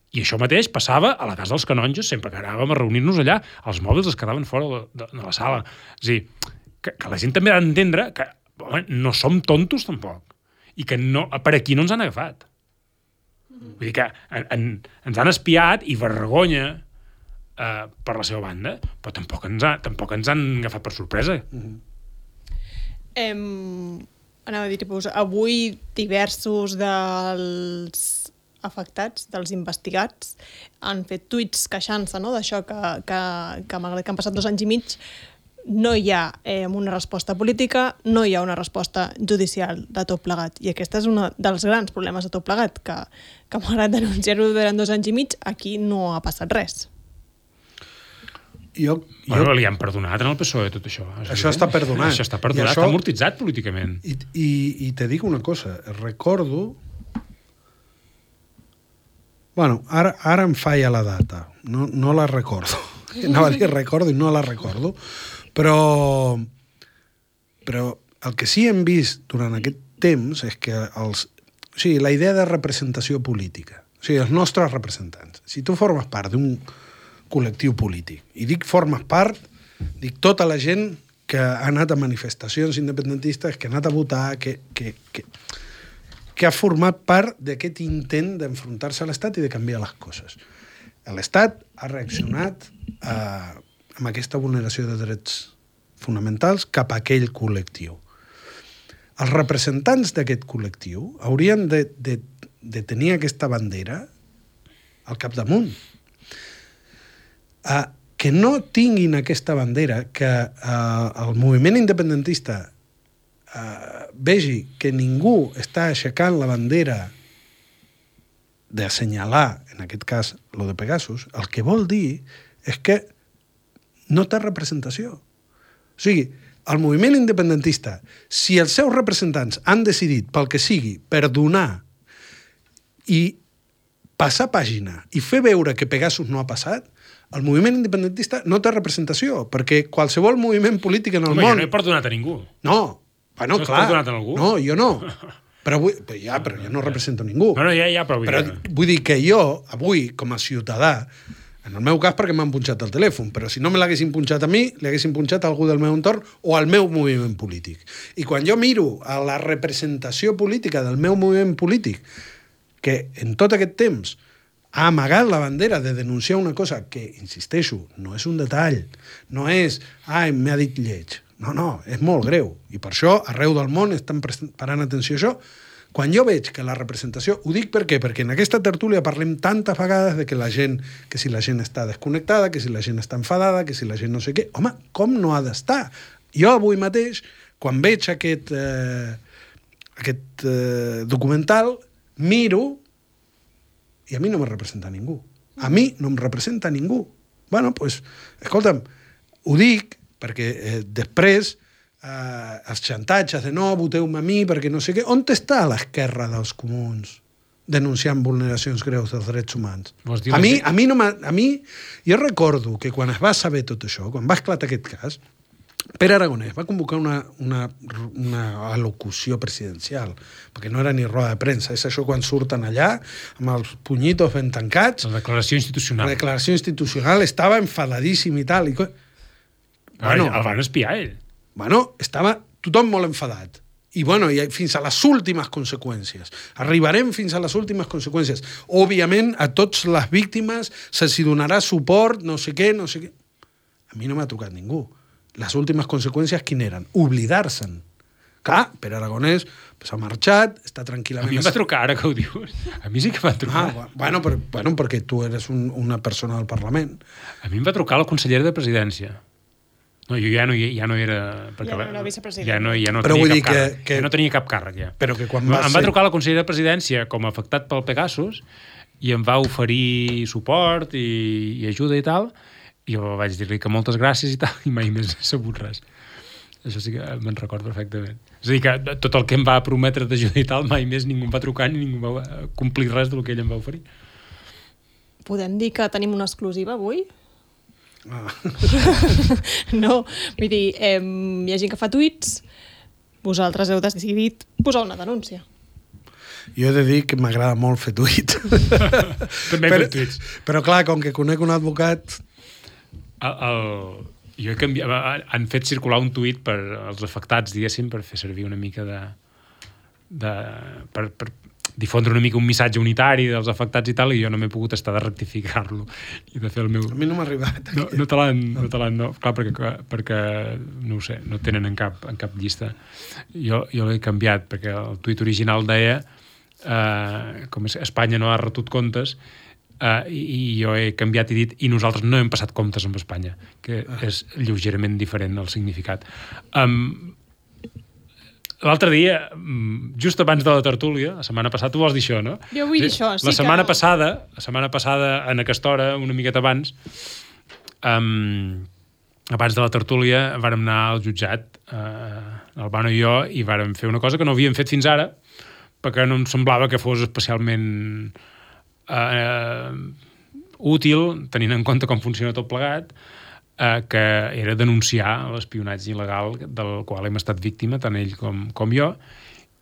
I això mateix passava a la casa dels canonges, sempre que anàvem a reunir-nos allà, els mòbils es quedaven fora de, de, de la sala. És a dir, que, que la gent també ha d'entendre que home, no som tontos tampoc, i que no, per aquí no ens han agafat. Vull dir que en, en, ens han espiat i vergonya Uh, per la seva banda, però tampoc ens, ha, tampoc ens han agafat per sorpresa. Mm-hmm. Em, anava a dir, tipus, avui diversos dels afectats, dels investigats, han fet tuits queixant-se, no?, d'això que, que, que malgrat que han passat dos anys i mig no hi ha eh, una resposta política, no hi ha una resposta judicial de tot plegat. I aquest és un dels grans problemes de tot plegat, que, que malgrat denunciar-ho durant dos anys i mig, aquí no ha passat res. Jo, bueno, jo... li han perdonat en el P S O E tot això. Això està perdonat. Això està perdonat, això... està amortitzat políticament. I, i, I te dic una cosa, recordo... Bueno, ara, ara em falla la data, no, no la recordo. Anava a dir recordo i no la recordo, però, però el que sí hem vist durant aquest temps és que els, o sigui, la idea de representació política, o sigui, els nostres representants, si tu formes part d'un col·lectiu polític, i dic formes part, dic tota la gent que ha anat a manifestacions independentistes, que ha anat a votar, que, que, que, que ha format part d'aquest intent d'enfrontar-se a l'Estat i de canviar les coses. L'Estat ha reaccionat eh, amb aquesta vulneració de drets fonamentals cap a aquell col·lectiu. Els representants d'aquest col·lectiu haurien de, de, de tenir aquesta bandera al capdamunt. Eh, que no tinguin aquesta bandera, que eh, el moviment independentista eh, vegi que ningú està aixecant la bandera d'assenyalar, en aquest cas, lo de Pegasus, el que vol dir és que no té representació. O sigui, el moviment independentista, si els seus representants han decidit, pel que sigui, perdonar i passar pàgina i fer veure que Pegasus no ha passat, el moviment independentista no té representació, perquè qualsevol moviment polític en el Home, món... jo no he perdonat a ningú. No, bueno, Tu has clar. perdonat a algú? No, jo no. Però, vull, però ja, però jo no represento ningú. No, no, ja, ja, però... Però vull dir que jo, avui, com a ciutadà, en el meu cas perquè m'han punxat el telèfon, però si no me l'haguessin punxat a mi, li haguessin punxat a algú del meu entorn o al meu moviment polític. I quan jo miro a la representació política del meu moviment polític, que en tot aquest temps ha amagat la bandera de denunciar una cosa que, insisteixo, no és un detall, no és, ai, m'ha dit lleig. No, no, és molt greu. I per això, arreu del món estan parant atenció a això. Quan jo veig que la representació... Ho dic per què? Perquè en aquesta tertúlia parlem tantes vegades de que la gent, que si la gent està desconnectada, que si la gent està enfadada, que si la gent no sé què... Home, com no ha d'estar? Jo avui mateix, quan veig aquest, eh, aquest eh, documental, miro i a mi no me representa ningú. A mi no em representa ningú. Bueno, doncs, pues, escolta'm, ho dic perquè eh, després eh, els xantatges de no, voteu-me a mi perquè no sé què, on està l'esquerra dels comuns denunciant vulneracions greus dels drets humans? A mi, a mi no a mi, jo recordo que quan es va saber tot això, quan va esclatar aquest cas, Pere Aragonès va convocar una, una, una alocució presidencial, perquè no era ni roda de premsa, és això quan surten allà, amb els punyitos ben tancats. La declaració institucional. La declaració institucional, estava enfadadíssim i tal. I... Bueno, el van espiar, ell. Bueno, estava tothom molt enfadat. I, bueno, i fins a les últimes conseqüències. Arribarem fins a les últimes conseqüències. Òbviament, a tots les víctimes se'ls donarà suport, no sé què, no sé què. A mi no m'ha trucat ningú. Les últimes conseqüències, quin eren? Oblidar-se'n. Clar, Pere Aragonès s'ha marxat, està tranquil·lament... A mi em va trucar, ara que ho dius. A mi sí que m'ha trucat. Ah, bueno, però, bueno, perquè tu eres un, una persona del Parlament. A mi em va trucar la consellera de Presidència. No, jo ja no, ja no era... Ja no era vicepresident. Ja no, ja no però tenia vull cap dir que, càrrec. que... Ja no tenia cap càrrec, ja. Però que quan va em ser... va trucar la consellera de Presidència com a afectat pel Pegasus i em va oferir suport i, i ajuda i tal, i jo vaig dir-li que moltes gràcies i tal, i mai més he sabut res. Això sí que me'n recordo perfectament. És a dir, que tot el que em va prometre d'ajuda i tal, mai més ningú em va trucar ni ningú va complir res del que ell em va oferir. Podem dir que tenim una exclusiva avui? Ah. No, vull dir, eh, hi ha gent que fa tuits, vosaltres heu decidit posar una denúncia. Jo he de dir que m'agrada molt fer tuit. També he fet tuits. Però clar, com que conec un advocat... El, el, jo he canviat, han fet circular un tuit per als afectats, diguéssim, per fer servir una mica de... de per, per, difondre una mica un missatge unitari dels afectats i tal, i jo no m'he pogut estar de rectificar-lo i de fer el meu... A mi no m'ha arribat. No, no te l'han... No te l'han no. Clar, perquè, perquè, no ho sé, no tenen en cap, en cap llista. Jo, jo l'he canviat, perquè el tuit original deia eh, com és, Espanya no ha retut comptes, eh, i, i jo he canviat i dit i nosaltres no hem passat comptes amb Espanya, que ah. és lleugerament diferent el significat. Um, L'altre dia, just abans de la tertúlia, la setmana passada, tu vols dir això, no? Jo vull dir això, sí la setmana que... passada, la setmana passada, en aquesta hora, una miqueta abans, um, abans de la tertúlia, vàrem anar al jutjat, uh, l'Albano i jo, i vàrem fer una cosa que no havíem fet fins ara, perquè no em semblava que fos especialment uh, útil, tenint en compte com funciona tot plegat, eh, que era denunciar l'espionatge il·legal del qual hem estat víctima, tant ell com, com jo,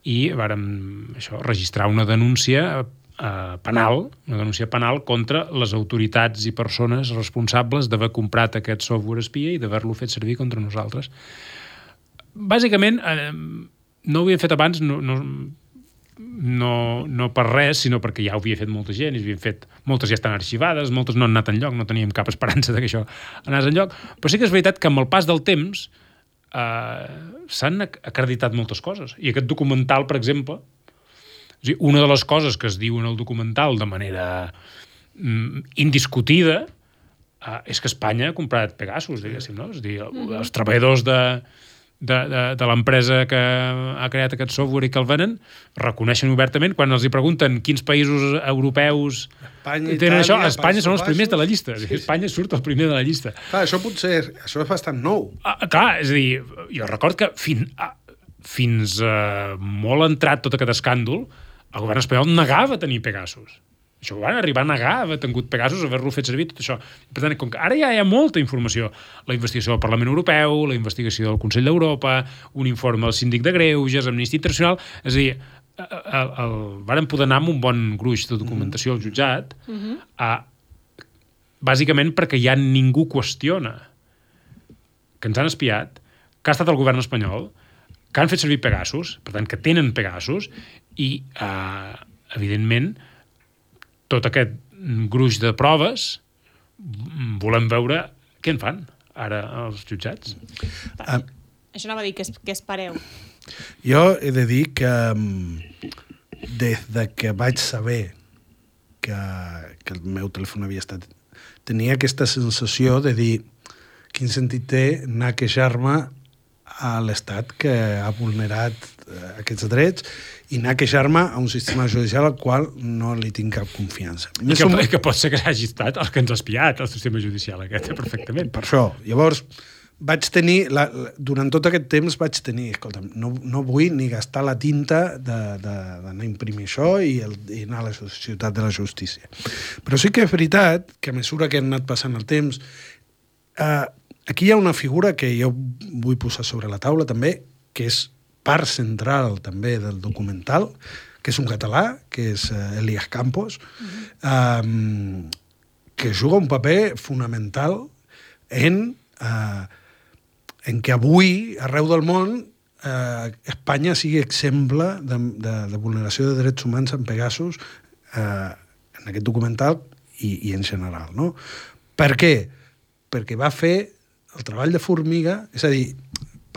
i vàrem això, registrar una denúncia eh, penal, una denúncia penal contra les autoritats i persones responsables d'haver comprat aquest software espia i d'haver-lo fet servir contra nosaltres. Bàsicament, eh, no ho havia fet abans, no, no, no, no per res, sinó perquè ja ho havia fet molta gent, i havien fet, moltes ja estan arxivades, moltes no han anat enlloc, no teníem cap esperança de que això anés enlloc, però sí que és veritat que amb el pas del temps eh, s'han acreditat moltes coses, i aquest documental, per exemple, o sigui, una de les coses que es diu en el documental de manera mm, indiscutida eh, és que Espanya ha comprat Pegasus, diguéssim, no? És a dir, els treballadors de de, de, de l'empresa que ha creat aquest software i que el venen, reconeixen obertament, quan els hi pregunten quins països europeus Espanya, tenen Itàlia, això, Espanya són els Països primers de la llista. Sí, sí. Espanya surt el primer de la llista. Clar, això potser, això és bastant nou. Ah, clar, és a dir, jo record que fin, ah, fins uh, molt entrat tot aquest escàndol, el govern espanyol negava tenir Pegasus. Això ho van arribar a negar, haver tingut Pegasus, haver-lo fet servir, tot això. Per tant, com que ara ja hi ha molta informació, la investigació del Parlament Europeu, la investigació del Consell d'Europa, un informe del Síndic de Greuges, Amnistia Internacional, és a dir, el, el, el, varen poder anar amb un bon gruix de documentació al jutjat, mm-hmm. a, bàsicament perquè ja ningú qüestiona que ens han espiat, que ha estat el govern espanyol, que han fet servir Pegasus, per tant, que tenen Pegasus, i, eh, evidentment, tot aquest gruix de proves volem veure què en fan ara els jutjats. Uh, Això anava a dir, que, es, que espereu. Jo he de dir que des de que vaig saber que, que el meu telèfon havia estat... Tenia aquesta sensació de dir quin sentit té anar a queixar-me a l'Estat que ha vulnerat aquests drets i anar a queixar-me a un sistema judicial al qual no li tinc cap confiança. I que, som... que pot ser que hagi estat el que ens ha espiat, el sistema judicial aquest, perfectament. Per això. Llavors, vaig tenir, la, la, durant tot aquest temps vaig tenir, escolta'm, no, no vull ni gastar la tinta d'anar a imprimir això i, el, i anar a la Ciutat de la Justícia. Però sí que és veritat que a mesura que han anat passant el temps, eh, aquí hi ha una figura que jo vull posar sobre la taula també, que és part central també del documental, que és un català, que és uh, Elias Campos, mm-hmm. um, que juga un paper fonamental en, uh, en que avui, arreu del món, uh, Espanya sigui exemple de, de, de vulneració de drets humans en Pegasus uh, en aquest documental i, i en general, no? Per què? Perquè va fer el treball de formiga, és a dir,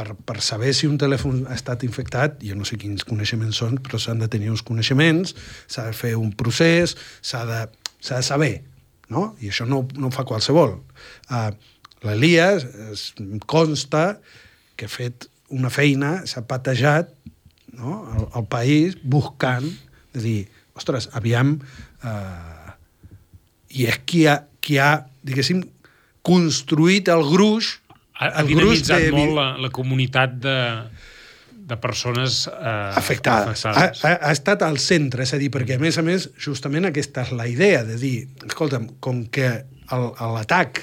Per, per saber si un telèfon ha estat infectat, jo no sé quins coneixements són, però s'han de tenir uns coneixements, s'ha de fer un procés, s'ha de, s'ha de saber, no? I això no, no ho fa qualsevol. Uh, L'Elias consta que ha fet una feina, s'ha patejat, no? el, el país buscant, de dir, ostres, aviam, uh, i és qui ha, qui ha, diguéssim, construït el gruix. Ha dinamitzat de... molt la, la comunitat de, de persones eh, afectades. afectades. Ha, ha estat al centre, és a dir, perquè a més a més, justament aquesta és la idea de dir, escolta'm, com que l'atac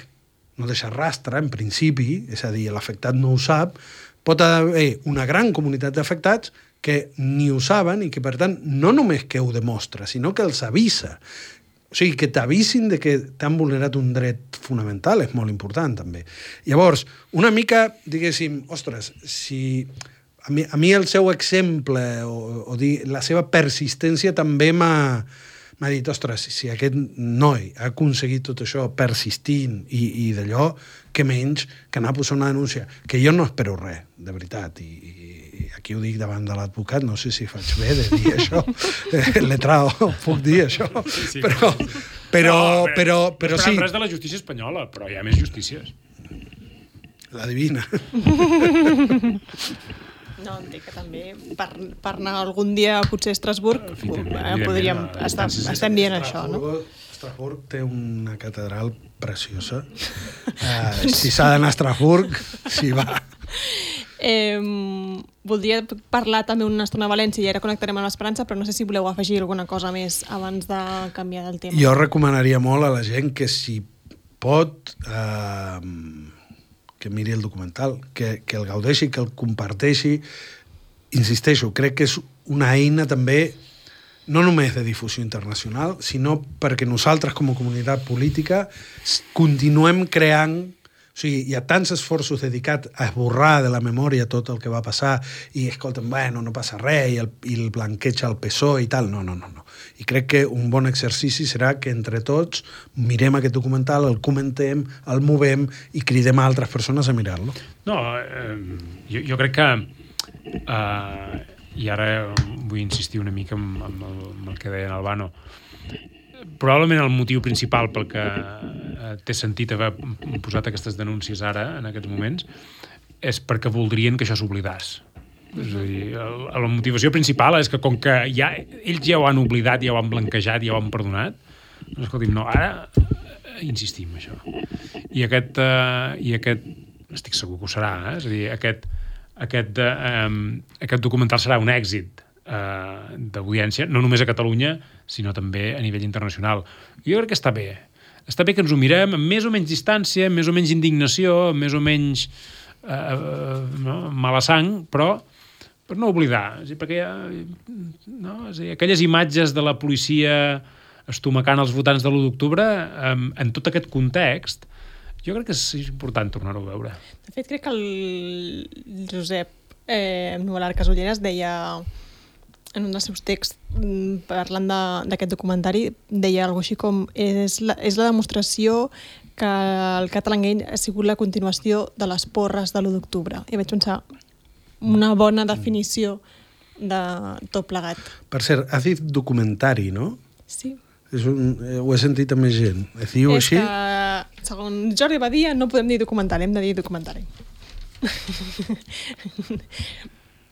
no deixa rastre, en principi, és a dir, l'afectat no ho sap, pot haver una gran comunitat d'afectats que ni ho saben i que, per tant, no només que ho demostra, sinó que els avisa. O sigui, que t'avisin de que t'han vulnerat un dret fonamental és molt important, també. Llavors, una mica, diguéssim, ostres, si a mi, a mi el seu exemple o, o dir, la seva persistència també m'ha m'ha dit, ostres, si aquest noi ha aconseguit tot això persistint i, i d'allò, que menys que anar a posar una denúncia, que jo no espero res, de veritat, i, i aquí ho dic davant de l'advocat, no sé si faig bé de dir això, eh, letrado, puc dir això, sí, sí. però, però, no, però, però no sí. res de la justícia espanyola, però hi ha més justícies. La divina. No, entenc que també per, per anar algun dia potser a Estrasburg eh, podríem estar, estem dient això, no? Estrasburg té una catedral preciosa. Uh, si s'ha d'anar a Estrasburg, s'hi va. Eh, voldria parlar també una estona a València i ara connectarem amb l'Esperança, però no sé si voleu afegir alguna cosa més abans de canviar del tema. Jo recomanaria molt a la gent que si pot eh, que miri el documental, que, que el gaudeixi, que el comparteixi. Insisteixo, crec que és una eina també no només de difusió internacional, sinó perquè nosaltres com a comunitat política continuem creant. O sigui, hi ha tants esforços dedicats a esborrar de la memòria tot el que va passar i, escolta'm, bueno, no passa res i el, i el blanqueig al P S O E i tal. No, no, no, no. I crec que un bon exercici serà que entre tots mirem aquest documental, el comentem, el movem i cridem a altres persones a mirar-lo. No, eh, jo, jo crec que eh, i ara vull insistir una mica amb, amb, el, amb el que deia en Albano. Probablement el motiu principal pel que té sentit haver posat aquestes denúncies ara, en aquests moments, és perquè voldrien que això s'oblidàs. És a dir, la motivació principal és que com que ja, ells ja ho han oblidat, ja ho han blanquejat, ja ho han perdonat, doncs escolti'm, no, ara insistim en això. I aquest, eh, i aquest estic segur que ho serà, eh? És a dir, aquest, aquest, eh, aquest documental serà un èxit eh, d'audiència, no només a Catalunya, sinó també a nivell internacional. Jo crec que està bé. Està bé que ens ho mirem amb més o menys distància, amb més o menys indignació, amb més o menys eh, eh, no, mala sang, però per no oblidar. És a dir, perquè hi ha, no? És a dir, aquelles imatges de la policia estomacant els votants de l'u d'octubre, eh, en tot aquest context, jo crec que és important tornar-ho a veure. De fet, crec que el Josep eh, Nualar Casulleras deia en un dels seus texts, parlant d'aquest documentari, deia alguna cosa així com és la, és la demostració que el Catalangate ha sigut la continuació de les porres de l'u d'octubre. I vaig pensar, una bona definició de tot plegat. Per cert, has dit documentari, no? Sí. És un, eh, ho he sentit a més gent. Es diu és així? Que, segons Jordi Badia, no podem dir documentari, hem de dir documentari.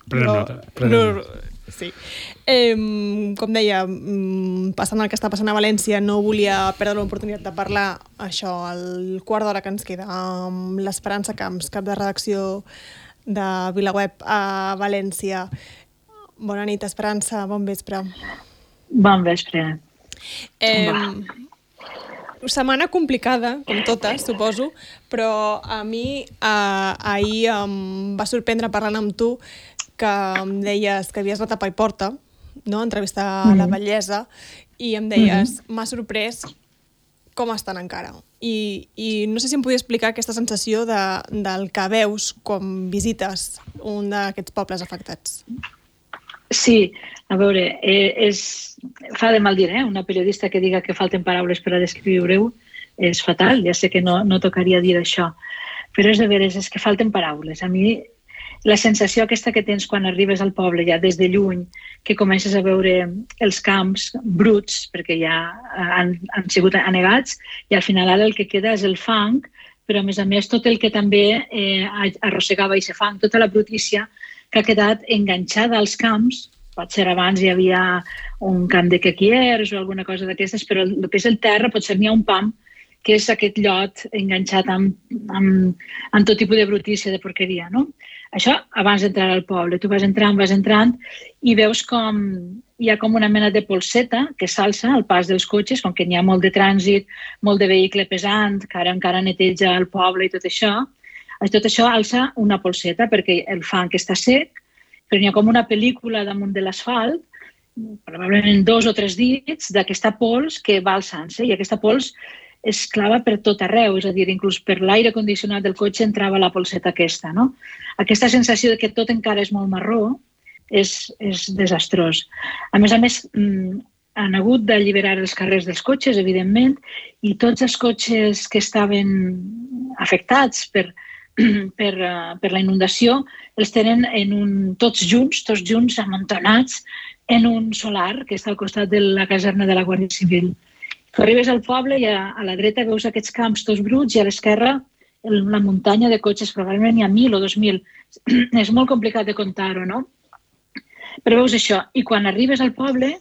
Prenem no, nota. Prenem. No, sí. Eh, com deia, passant el que està passant a València, no volia perdre l'oportunitat de parlar això al quart d'hora que ens queda amb l'Esperança Camps, cap de redacció de VilaWeb a València. Bona nit, Esperança, bon vespre. Bon vespre. Eh, setmana complicada, com totes, suposo, però a mi eh, ahir em va sorprendre parlant amb tu que em deies que havies anat a Paiporta, no? Entrevistar mm-hmm. la bellesa, i em deies, mm-hmm. m'ha sorprès com estan encara. I, i no sé si em podia explicar aquesta sensació de, del que veus quan visites un d'aquests pobles afectats. Sí, a veure, eh, és, fa de mal dir, eh? Una periodista que diga que falten paraules per a descriure-ho és fatal, ja sé que no, no tocaria dir això, però és de veres, és que falten paraules. A mi la sensació aquesta que tens quan arribes al poble ja des de lluny, que comences a veure els camps bruts, perquè ja han, han sigut anegats, i al final ara el que queda és el fang, però a més a més tot el que també eh, arrossegava aquest fang, tota la brutícia que ha quedat enganxada als camps. Potser abans hi havia un camp de quequiers o alguna cosa d'aquestes, però el que és el terra potser n'hi ha un pam, que és aquest llot enganxat amb, amb, amb tot tipus de brutícia, de porqueria, no? Això abans d'entrar al poble. Tu vas entrant, vas entrant i veus com hi ha com una mena de polseta que s'alça al pas dels cotxes, com que n'hi ha molt de trànsit, molt de vehicle pesant, que ara encara neteja el poble i tot això. Tot això alça una polseta perquè el fang està sec, però n'hi ha com una pel·lícula damunt de l'asfalt, probablement dos o tres dits d'aquesta pols que va alçant-se, i aquesta pols es clava per tot arreu, és a dir, inclús per l'aire condicionat del cotxe entrava la polseta aquesta, no? Aquesta sensació de que tot encara és molt marró és, és desastrós. A més a més, han hagut d'alliberar els carrers dels cotxes, evidentment, i tots els cotxes que estaven afectats per, per, per la inundació els tenen en un, tots junts, tots junts, amuntonats en un solar que està al costat de la caserna de la Guàrdia Civil. Tu arribes al poble i a, a la dreta veus aquests camps tots bruts i a l'esquerra la muntanya de cotxes, probablement hi ha mil o dos mil. És molt complicat de contar-ho, no? Però veus això. I quan arribes al poble,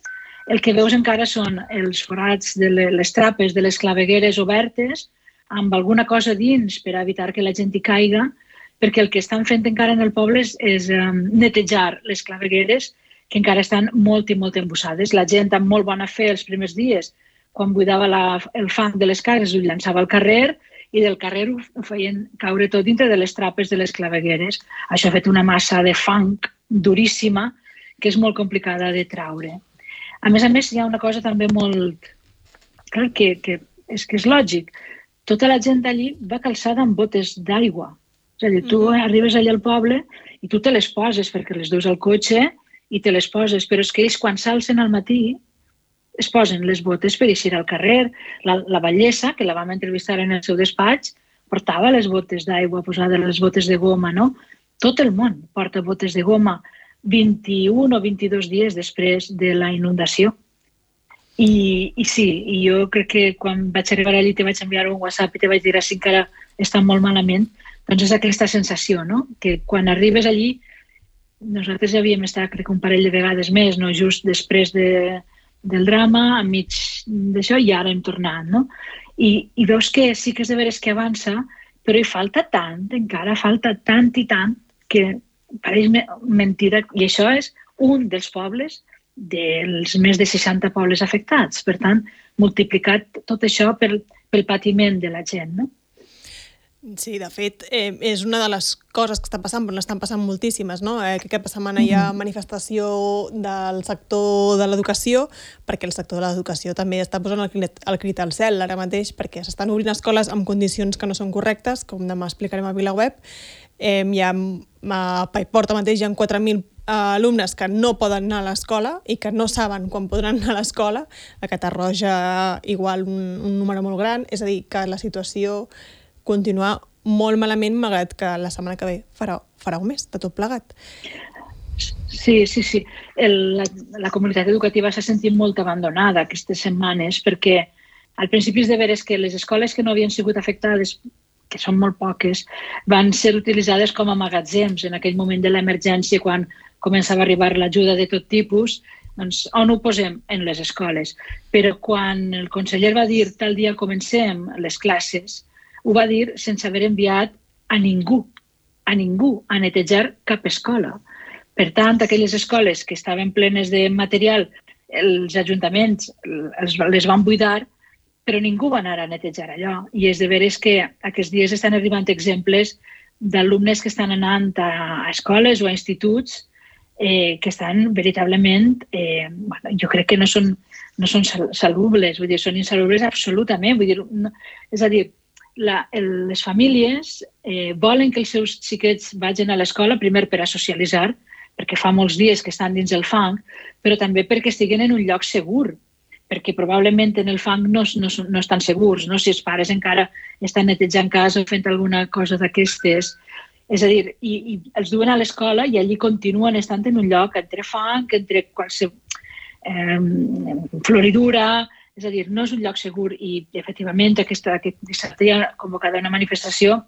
el que veus encara són els forats de les trapes de les clavegueres obertes, amb alguna cosa dins per evitar que la gent hi caiga, perquè el que estan fent encara en el poble és, és um, netejar les clavegueres que encara estan molt i molt embussades. La gent amb molt bona fe els primers dies, quan buidava la, el fang de les cases, ho llançava al carrer i del carrer ho feien caure tot dintre de les trapes de les clavegueres. Això ha fet una massa de fang duríssima que és molt complicada de traure. A més a més, hi ha una cosa també molt... Clar, que, que, és que és lògic. Tota la gent d'allí va calçada amb botes d'aigua. És a dir, tu mm-hmm. arribes allà al poble i tu te les poses perquè les duus al cotxe i te les poses, però és que ells quan s'alcen al matí es posen les botes per eixir al carrer. La, la Vallesa, que la vam entrevistar en el seu despatx, portava les botes d'aigua posades, les botes de goma, no? Tot el món porta botes de goma vint-i-un o vint-i-dos dies després de la inundació. I, i sí, i jo crec que quan vaig arribar allí te vaig enviar un WhatsApp i te vaig dir si encara està molt malament, doncs és aquesta sensació, no? Que quan arribes allí, nosaltres ja havíem estat, crec, un parell de vegades més, no? Just després de, del drama, enmig d'això, i ara hem tornat, no? I, i veus que sí que és de veres que avança, però hi falta tant, encara falta tant i tant, que pareix mentida, i això és un dels pobles dels més de seixanta pobles afectats. Per tant, multiplicat tot això pel, pel patiment de la gent, no? Sí, de fet, eh, és una de les coses que estan passant, però n'estan passant moltíssimes, no? Eh, que aquesta setmana hi ha manifestació del sector de l'educació, perquè el sector de l'educació també està posant el crit, el crit al cel ara mateix, perquè s'estan obrint escoles amb condicions que no són correctes, com demà explicarem a VilaWeb. Eh, hi ha, a Paiporta mateix hi ha quatre mil alumnes que no poden anar a l'escola i que no saben quan podran anar a l'escola. A Catarroja igual un, un número molt gran, és a dir, que la situació continua molt malament, malgrat que la setmana que ve farà, farà un mes de tot plegat. Sí, sí, sí. El, la, la comunitat educativa s'ha sentit molt abandonada aquestes setmanes perquè al principi és de veres que les escoles que no havien sigut afectades, que són molt poques, van ser utilitzades com a magatzems en aquell moment de l'emergència quan començava a arribar l'ajuda de tot tipus. Doncs on ho posem? En les escoles. Però quan el conseller va dir tal dia comencem les classes, ho va dir sense haver enviat a ningú, a ningú, a netejar cap escola. Per tant, aquelles escoles que estaven plenes de material, els ajuntaments les van buidar, però ningú va anar a netejar allò. I és de veres que aquests dies estan arribant exemples d'alumnes que estan anant a escoles o a instituts eh, que estan veritablement, eh, bueno, jo crec que no són, no són salubles, vull dir, són insalubles absolutament. Vull dir, no, és a dir, La, el, les famílies eh, volen que els seus xiquets vagin a l'escola, primer per a socialitzar, perquè fa molts dies que estan dins el fang, però també perquè estiguen en un lloc segur, perquè probablement en el fang no, no, no estan segurs, no? Si els pares encara estan netejant casa o fent alguna cosa d'aquestes. És a dir, i, i els duen a l'escola i allí continuen estant en un lloc entre fang, entre qualsevol eh, floridura. És a dir, no és un lloc segur i, efectivament, aquesta, aquest dissabte hi ha convocada una manifestació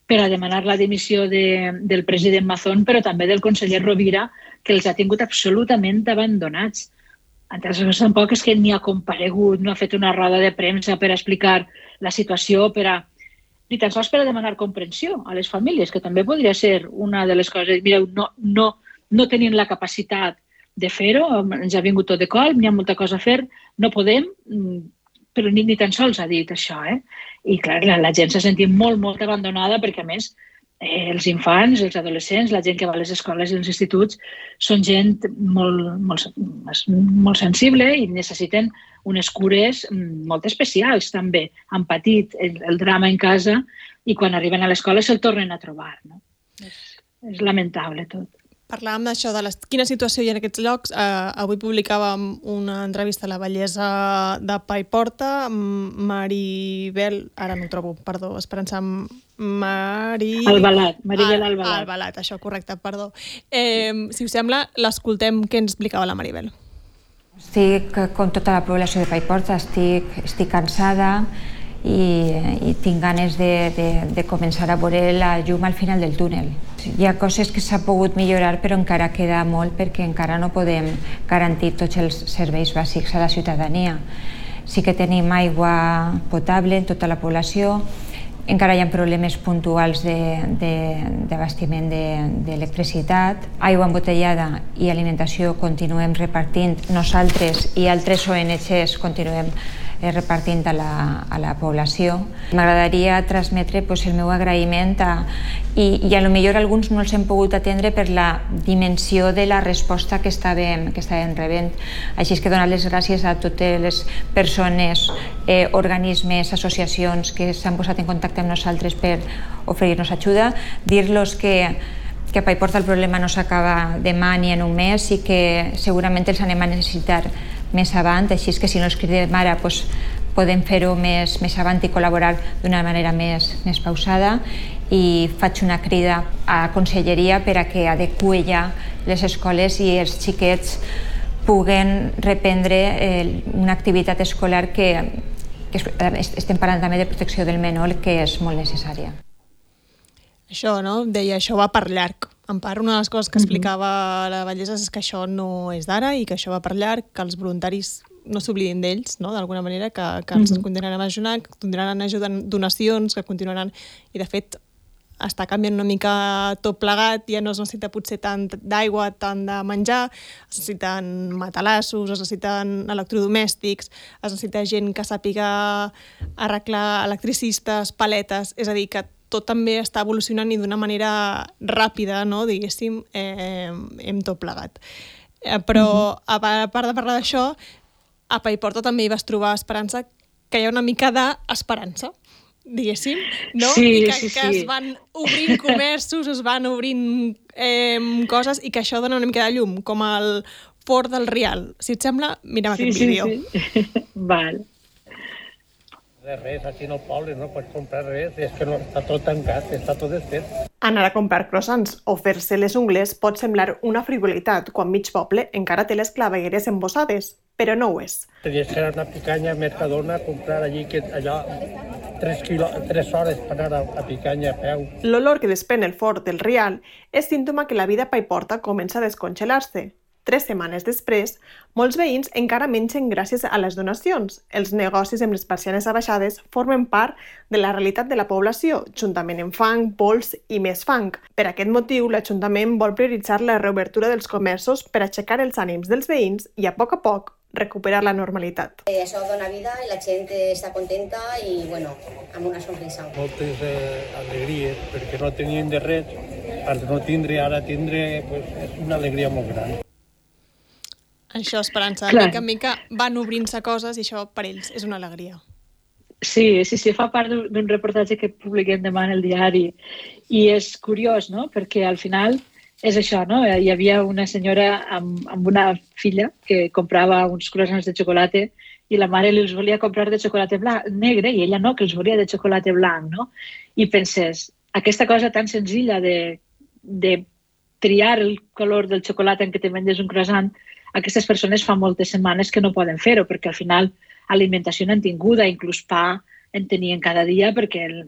per a demanar la dimissió de, del president Mazón, però també del conseller Rovira, que els ha tingut absolutament abandonats. Entre les tampoc és que ni ha comparegut, no ha fet una roda de premsa per explicar la situació, per a, ni tan sols per a demanar comprensió a les famílies, que també podria ser una de les coses. Mireu, no, no, no tenim la capacitat de fer-ho, ens ha vingut tot de colp, n'hi ha molta cosa a fer, no podem, però ni, ni tan sols ha dit això. Eh? I clar, la, la gent s'ha sentit molt, molt abandonada perquè, a més, eh, els infants, els adolescents, la gent que va a les escoles i als instituts, són gent molt, molt, molt sensible i necessiten unes cures molt especials també. Han patit el, el drama en casa i quan arriben a l'escola se'l tornen a trobar. No? És, és lamentable tot. Parlàvem d'això, de les, quina situació hi ha en aquests llocs. Uh, avui publicàvem una entrevista a la bellesa de Paiporta. Maribel, ara no ho trobo, perdó, Esperança... Mari... Albalat, Maribel Al, Albalat. Albalat, això, correcte, perdó. Eh, si us sembla, l'escoltem què ens explicava la Maribel. Estic, com tota la població de Paiporta, estic, estic cansada i, i tinc ganes de, de, de començar a veure la llum al final del túnel. Hi ha coses que s'ha pogut millorar, però encara queda molt perquè encara no podem garantir tots els serveis bàsics a la ciutadania. Sí que tenim aigua potable en tota la població, encara hi ha problemes puntuals d'abastiment d'electricitat, aigua embotellada i alimentació continuem repartint nosaltres i altres O N Ges continuem repartint a la, a la població. M'agradaria transmetre pues, el meu agraïment a, i, i a lo millor alguns no els hem pogut atendre per la dimensió de la resposta que estàvem, que estàvem rebent. Així és que donar les gràcies a totes les persones, eh, organismes, associacions que s'han posat en contacte amb nosaltres per oferir-nos ajuda, dir-los que que a Paiporta el problema no s'acaba demà ni en un mes i que segurament els anem a necessitar més avant, així és que si no els cridem ara doncs, podem fer-ho més, més avant i col·laborar d'una manera més, més pausada i faig una crida a la Conselleria per a que adeqüi ja les escoles i els xiquets puguen reprendre eh, una activitat escolar que, que estem parlant també de protecció del menor que és molt necessària. Això, no? Deia, això va per llarg. En part, una de les coses que explicava la Bellesa és que això no és d'ara i que això va per llarg, que els voluntaris no s'oblidin d'ells, no? D'alguna manera, que, que ens mm-hmm. continuaran ajudant, que continuaran ajudant donacions, que continuaran... I, de fet, està canviant una mica tot plegat, ja no es necessita potser tant d'aigua, tant de menjar, es necessiten matalassos, es necessiten electrodomèstics, es necessita gent que sàpiga arreglar electricistes, paletes, és a dir, que tot també està evolucionant i d'una manera ràpida, no? Diguéssim, eh, hem tot plegat. Eh, però, mm-hmm. a part de parlar d'això, a Paiporta també hi vas trobar esperança, que hi ha una mica d'esperança, diguéssim, no? Sí, I que, sí, que sí. es van obrint comerços, es van obrint eh, coses i que això dona una mica de llum, com el Fort del Rial. Si et sembla, mirem sí, aquest sí, vídeo. Sí. Val. De res, aquí en el poble no pots comprar res, és que no, està tot tancat, està tot desfet. Anar a comprar croissants o fer-se les ungles pot semblar una frivolitat quan mig poble encara té les clavegueres embossades, però no ho és. Tenies que anar a Picanya, a Mercadona, a comprar allí, que allò, tres, quilo, tres hores per anar a, a Picanya a peu. L'olor que desprèn el Fort del Rial és símptoma que la vida a Paiporta comença a descongelar-se. Tres setmanes després, molts veïns encara mengen gràcies a les donacions. Els negocis amb les persianes abaixades formen part de la realitat de la població, juntament amb fang, pols i més fang. Per aquest motiu, l'Ajuntament vol prioritzar la reobertura dels comerços per aixecar els ànims dels veïns i, a poc a poc, recuperar la normalitat. Eh, això dona vida i la gent està contenta i, bueno, amb una sonrisa. Moltes eh, alegries, perquè no tenien de res, per no tindre, ara tindre, pues, és una alegria molt gran. Això, Esperança, Clar. mica en mica van obrint-se coses i això per ells és una alegria. Sí, sí, sí, fa part d'un reportatge que publiquem demà en el diari i és curiós, no?, perquè al final és això, no?, hi havia una senyora amb, amb una filla que comprava uns croissants de xocolata i la mare li els volia comprar de xocolata blanc, negre i ella no, que els volia de xocolata blanc, no? I penses, aquesta cosa tan senzilla de, de triar el color del xocolata en què te menges un croissant, aquestes persones fa moltes setmanes que no poden fer-ho, perquè al final alimentació n'han tinguda, inclús pa en tenien cada dia, perquè el,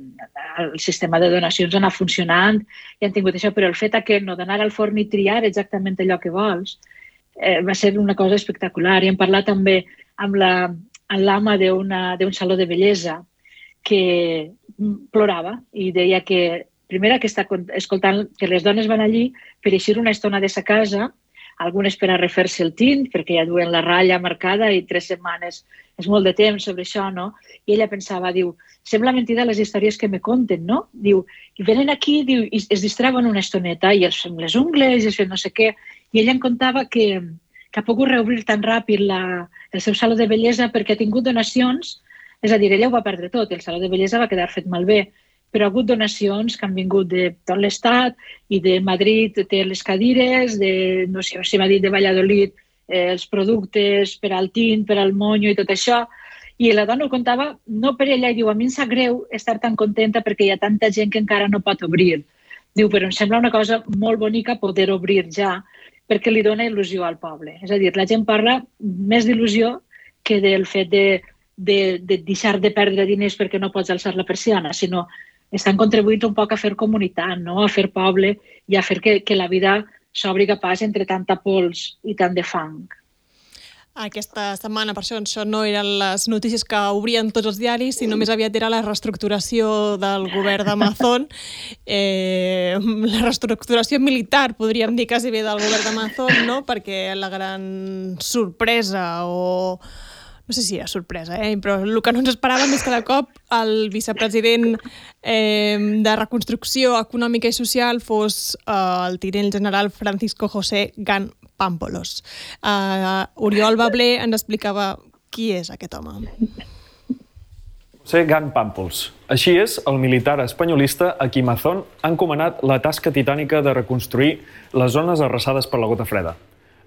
el sistema de donacions ha anat funcionant i han tingut això, però el fet que no d'anar al forn i triar exactament allò que vols eh, va ser una cosa espectacular. I hem parlat també amb l'ama d'un saló de bellesa que plorava i deia que, primera, que està escoltant que les dones van allí per eixir una estona de sa casa algunes per a refer-se el tint, perquè ja duen la ratlla marcada i tres setmanes és molt de temps sobre això, no? I ella pensava, diu, sembla mentida les històries que me conten, no? Diu, i venen aquí, diu, i es distrauen una estoneta i els fem les ungles i es fem no sé què. I ella em contava que, que ha pogut reobrir tan ràpid la, el seu saló de bellesa perquè ha tingut donacions, és a dir, ella ho va perdre tot, el saló de bellesa va quedar fet malbé, però ha hagut donacions que han vingut de tot l'Estat i de Madrid té les cadires, de, no sé si m'ha dit, de Valladolid, eh, els productes per al tint, per al monyo i tot això. I la dona ho contava, no per ella, i diu, a mi em sap greu estar tan contenta perquè hi ha tanta gent que encara no pot obrir. Diu, però em sembla una cosa molt bonica poder obrir ja, perquè li dona il·lusió al poble. És a dir, la gent parla més d'il·lusió que del fet de, de, de deixar de perdre diners perquè no pots alçar la persiana, sinó estan contribuint un poc a fer comunitat, no? A fer poble i a fer que, que la vida s'obri pas entre tanta pols i tant de fang. Aquesta setmana, per això, això no eren les notícies que obrien tots els diaris, sinó més aviat era la reestructuració del govern d'Amazon, eh, la reestructuració militar, podríem dir quasi bé, del govern d'Amazon, no? Perquè la gran sorpresa o... no sé si era sorpresa, eh? Però el que no ens esperàvem és que de cop el vicepresident eh, de Reconstrucció Econòmica i Social fos eh, el tinent general Francisco José Gant Pámpolos. Uh, Oriol Bablé ens explicava qui és aquest home. José Gant Pámpols. Així és el militar espanyolista a qui Amazon ha encomanat la tasca titànica de reconstruir les zones arrasades per la gota freda.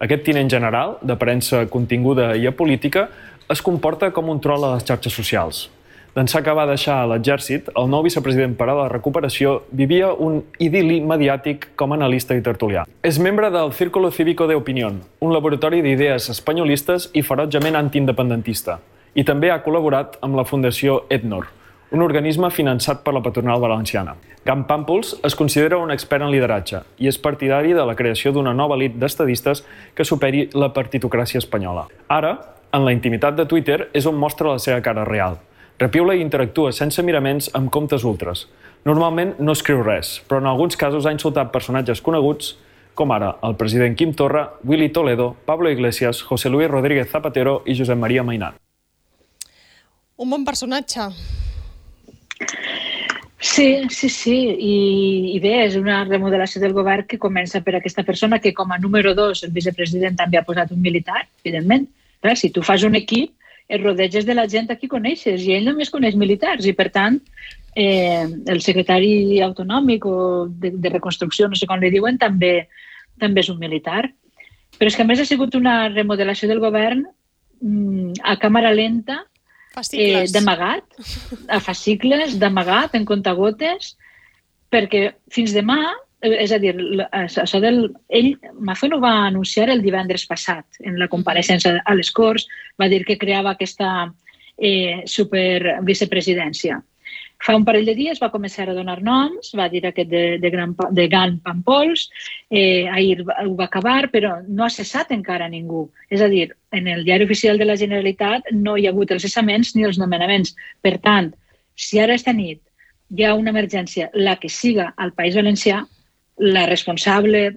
Aquest tinent general, d'aparença continguda i apolítica, es comporta com un trol a les xarxes socials. D'ençà que va deixar l'exèrcit, el nou vicepresident per a la recuperació vivia un idil·li mediàtic com a analista i tertulià. És membre del Círculo Cívico de Opinión, un laboratori d'idees espanyolistes i ferotgement antiindependentista, i també ha col·laborat amb la Fundació Etnor, un organisme finançat per la patronal valenciana. Gant Pámpols es considera un expert en lideratge i és partidari de la creació d'una nova elit d'estadistes que superi la partitocràcia espanyola. Ara, en la intimitat de Twitter, és on mostra la seva cara real. Repiula i interactua sense miraments amb comptes ultres. Normalment no escriu res, però en alguns casos ha insultat personatges coneguts, com ara el president Quim Torra, Willy Toledo, Pablo Iglesias, José Luis Rodríguez Zapatero i Josep Maria Mainat. Un bon personatge. Sí, sí, sí. I, i bé, és una remodelació del govern que comença per aquesta persona que com a número dos el vicepresident també ha posat un militar, evidentment. Clar, si tu fas un equip, et rodeges de la gent a qui coneixes i ell només coneix militars i, per tant, eh, el secretari autonòmic o de, de reconstrucció, no sé com li diuen, també, també és un militar. Però és que a més ha sigut una remodelació del govern mm, a càmera lenta, eh, d'amagat, a fascicles, d'amagat, en comptagotes, perquè fins demà, és a dir, això del, ell, Amazon ho va anunciar el divendres passat en la compareixença a les Corts, va dir que creava aquesta eh, super vicepresidència. Fa un parell de dies va començar a donar noms, va dir aquest de, de, Gran, de Gant Pámpols, eh, ahir ho va acabar, però no ha cessat encara ningú. És a dir, en el diari oficial de la Generalitat no hi ha hagut els cessaments ni els nomenaments. Per tant, si ara esta nit hi ha una emergència, la que siga al País Valencià, la responsable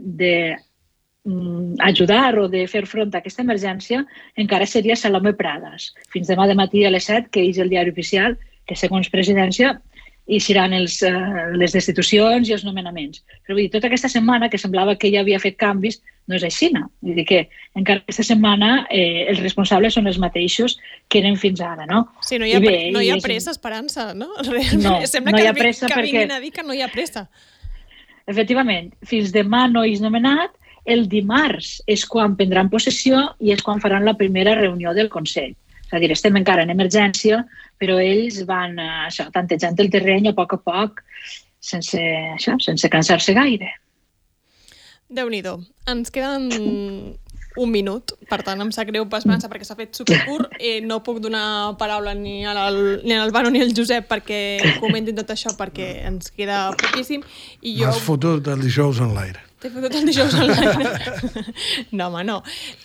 d'ajudar o de fer front a aquesta emergència encara seria Salomé Pradas. Fins demà de matí a les set, que és el diari oficial, que segons presidència hi seran els, uh, les destitucions i els nomenaments. Però vull dir, tota aquesta setmana, que semblava que ja havia fet canvis, no és així. No? Vull dir que encara aquesta setmana eh, els responsables són els mateixos que eren fins ara. No? Sí, no hi ha, bé, no hi ha pressa, Esperança, no? Realment, no, sembla no que, hi ha pressa que perquè... vinguin a dir que no hi ha pressa. Efectivament, fins demà no és nomenat, el dimarts és quan prendran possessió i és quan faran la primera reunió del Consell. És a dir, estem encara en emergència, però ells van això, tantejant el terreny a poc a poc, sense, això, sense cansar-se gaire. Déu-n'hi-do. Ens queden un minut, per tant em sap greu Esperança perquè s'ha fet supercurt. Eh, no puc donar paraula ni al, ni al Vano ni al Josep perquè comentin tot això perquè ens queda poquíssim. I jo... M'has fotut el dijous en l'aire. T'he fotut el dijous online. No, home, no.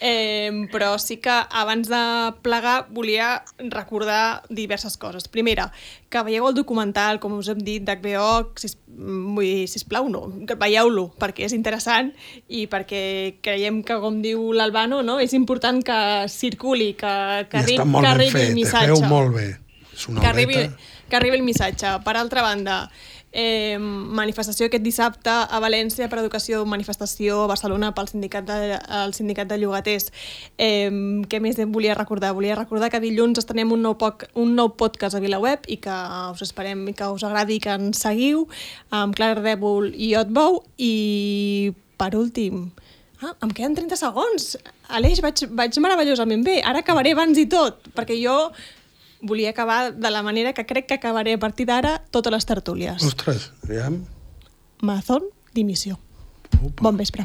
Eh, però sí que abans de plegar volia recordar diverses coses. Primera, que veieu el documental, com us hem dit, d'H B O, sis, vull, sisplau, no, veieu-lo, perquè és interessant i perquè creiem que, com diu l'Albano, no, és important que circuli, que, que, I arri està molt que ben arribi fet, el missatge. es veu molt bé. És una que arribi, horeta. que arribi el missatge. Per altra banda, eh, manifestació aquest dissabte a València per educació, manifestació a Barcelona pel sindicat de, el sindicat de llogaters. Eh, què més volia recordar? Volia recordar que dilluns estrenem un nou, poc, un nou podcast a VilaWeb i que us esperem i que us agradi, que ens seguiu amb Clara Rèbol i Otbou. I per últim, ah, em queden trenta segons. Aleix, vaig, vaig meravellosament bé. Ara acabaré abans i tot, perquè jo volia acabar de la manera que crec que acabaré a partir d'ara totes les tertúlies. Ostres, aviam. Maratón dimissió. Bon vespre.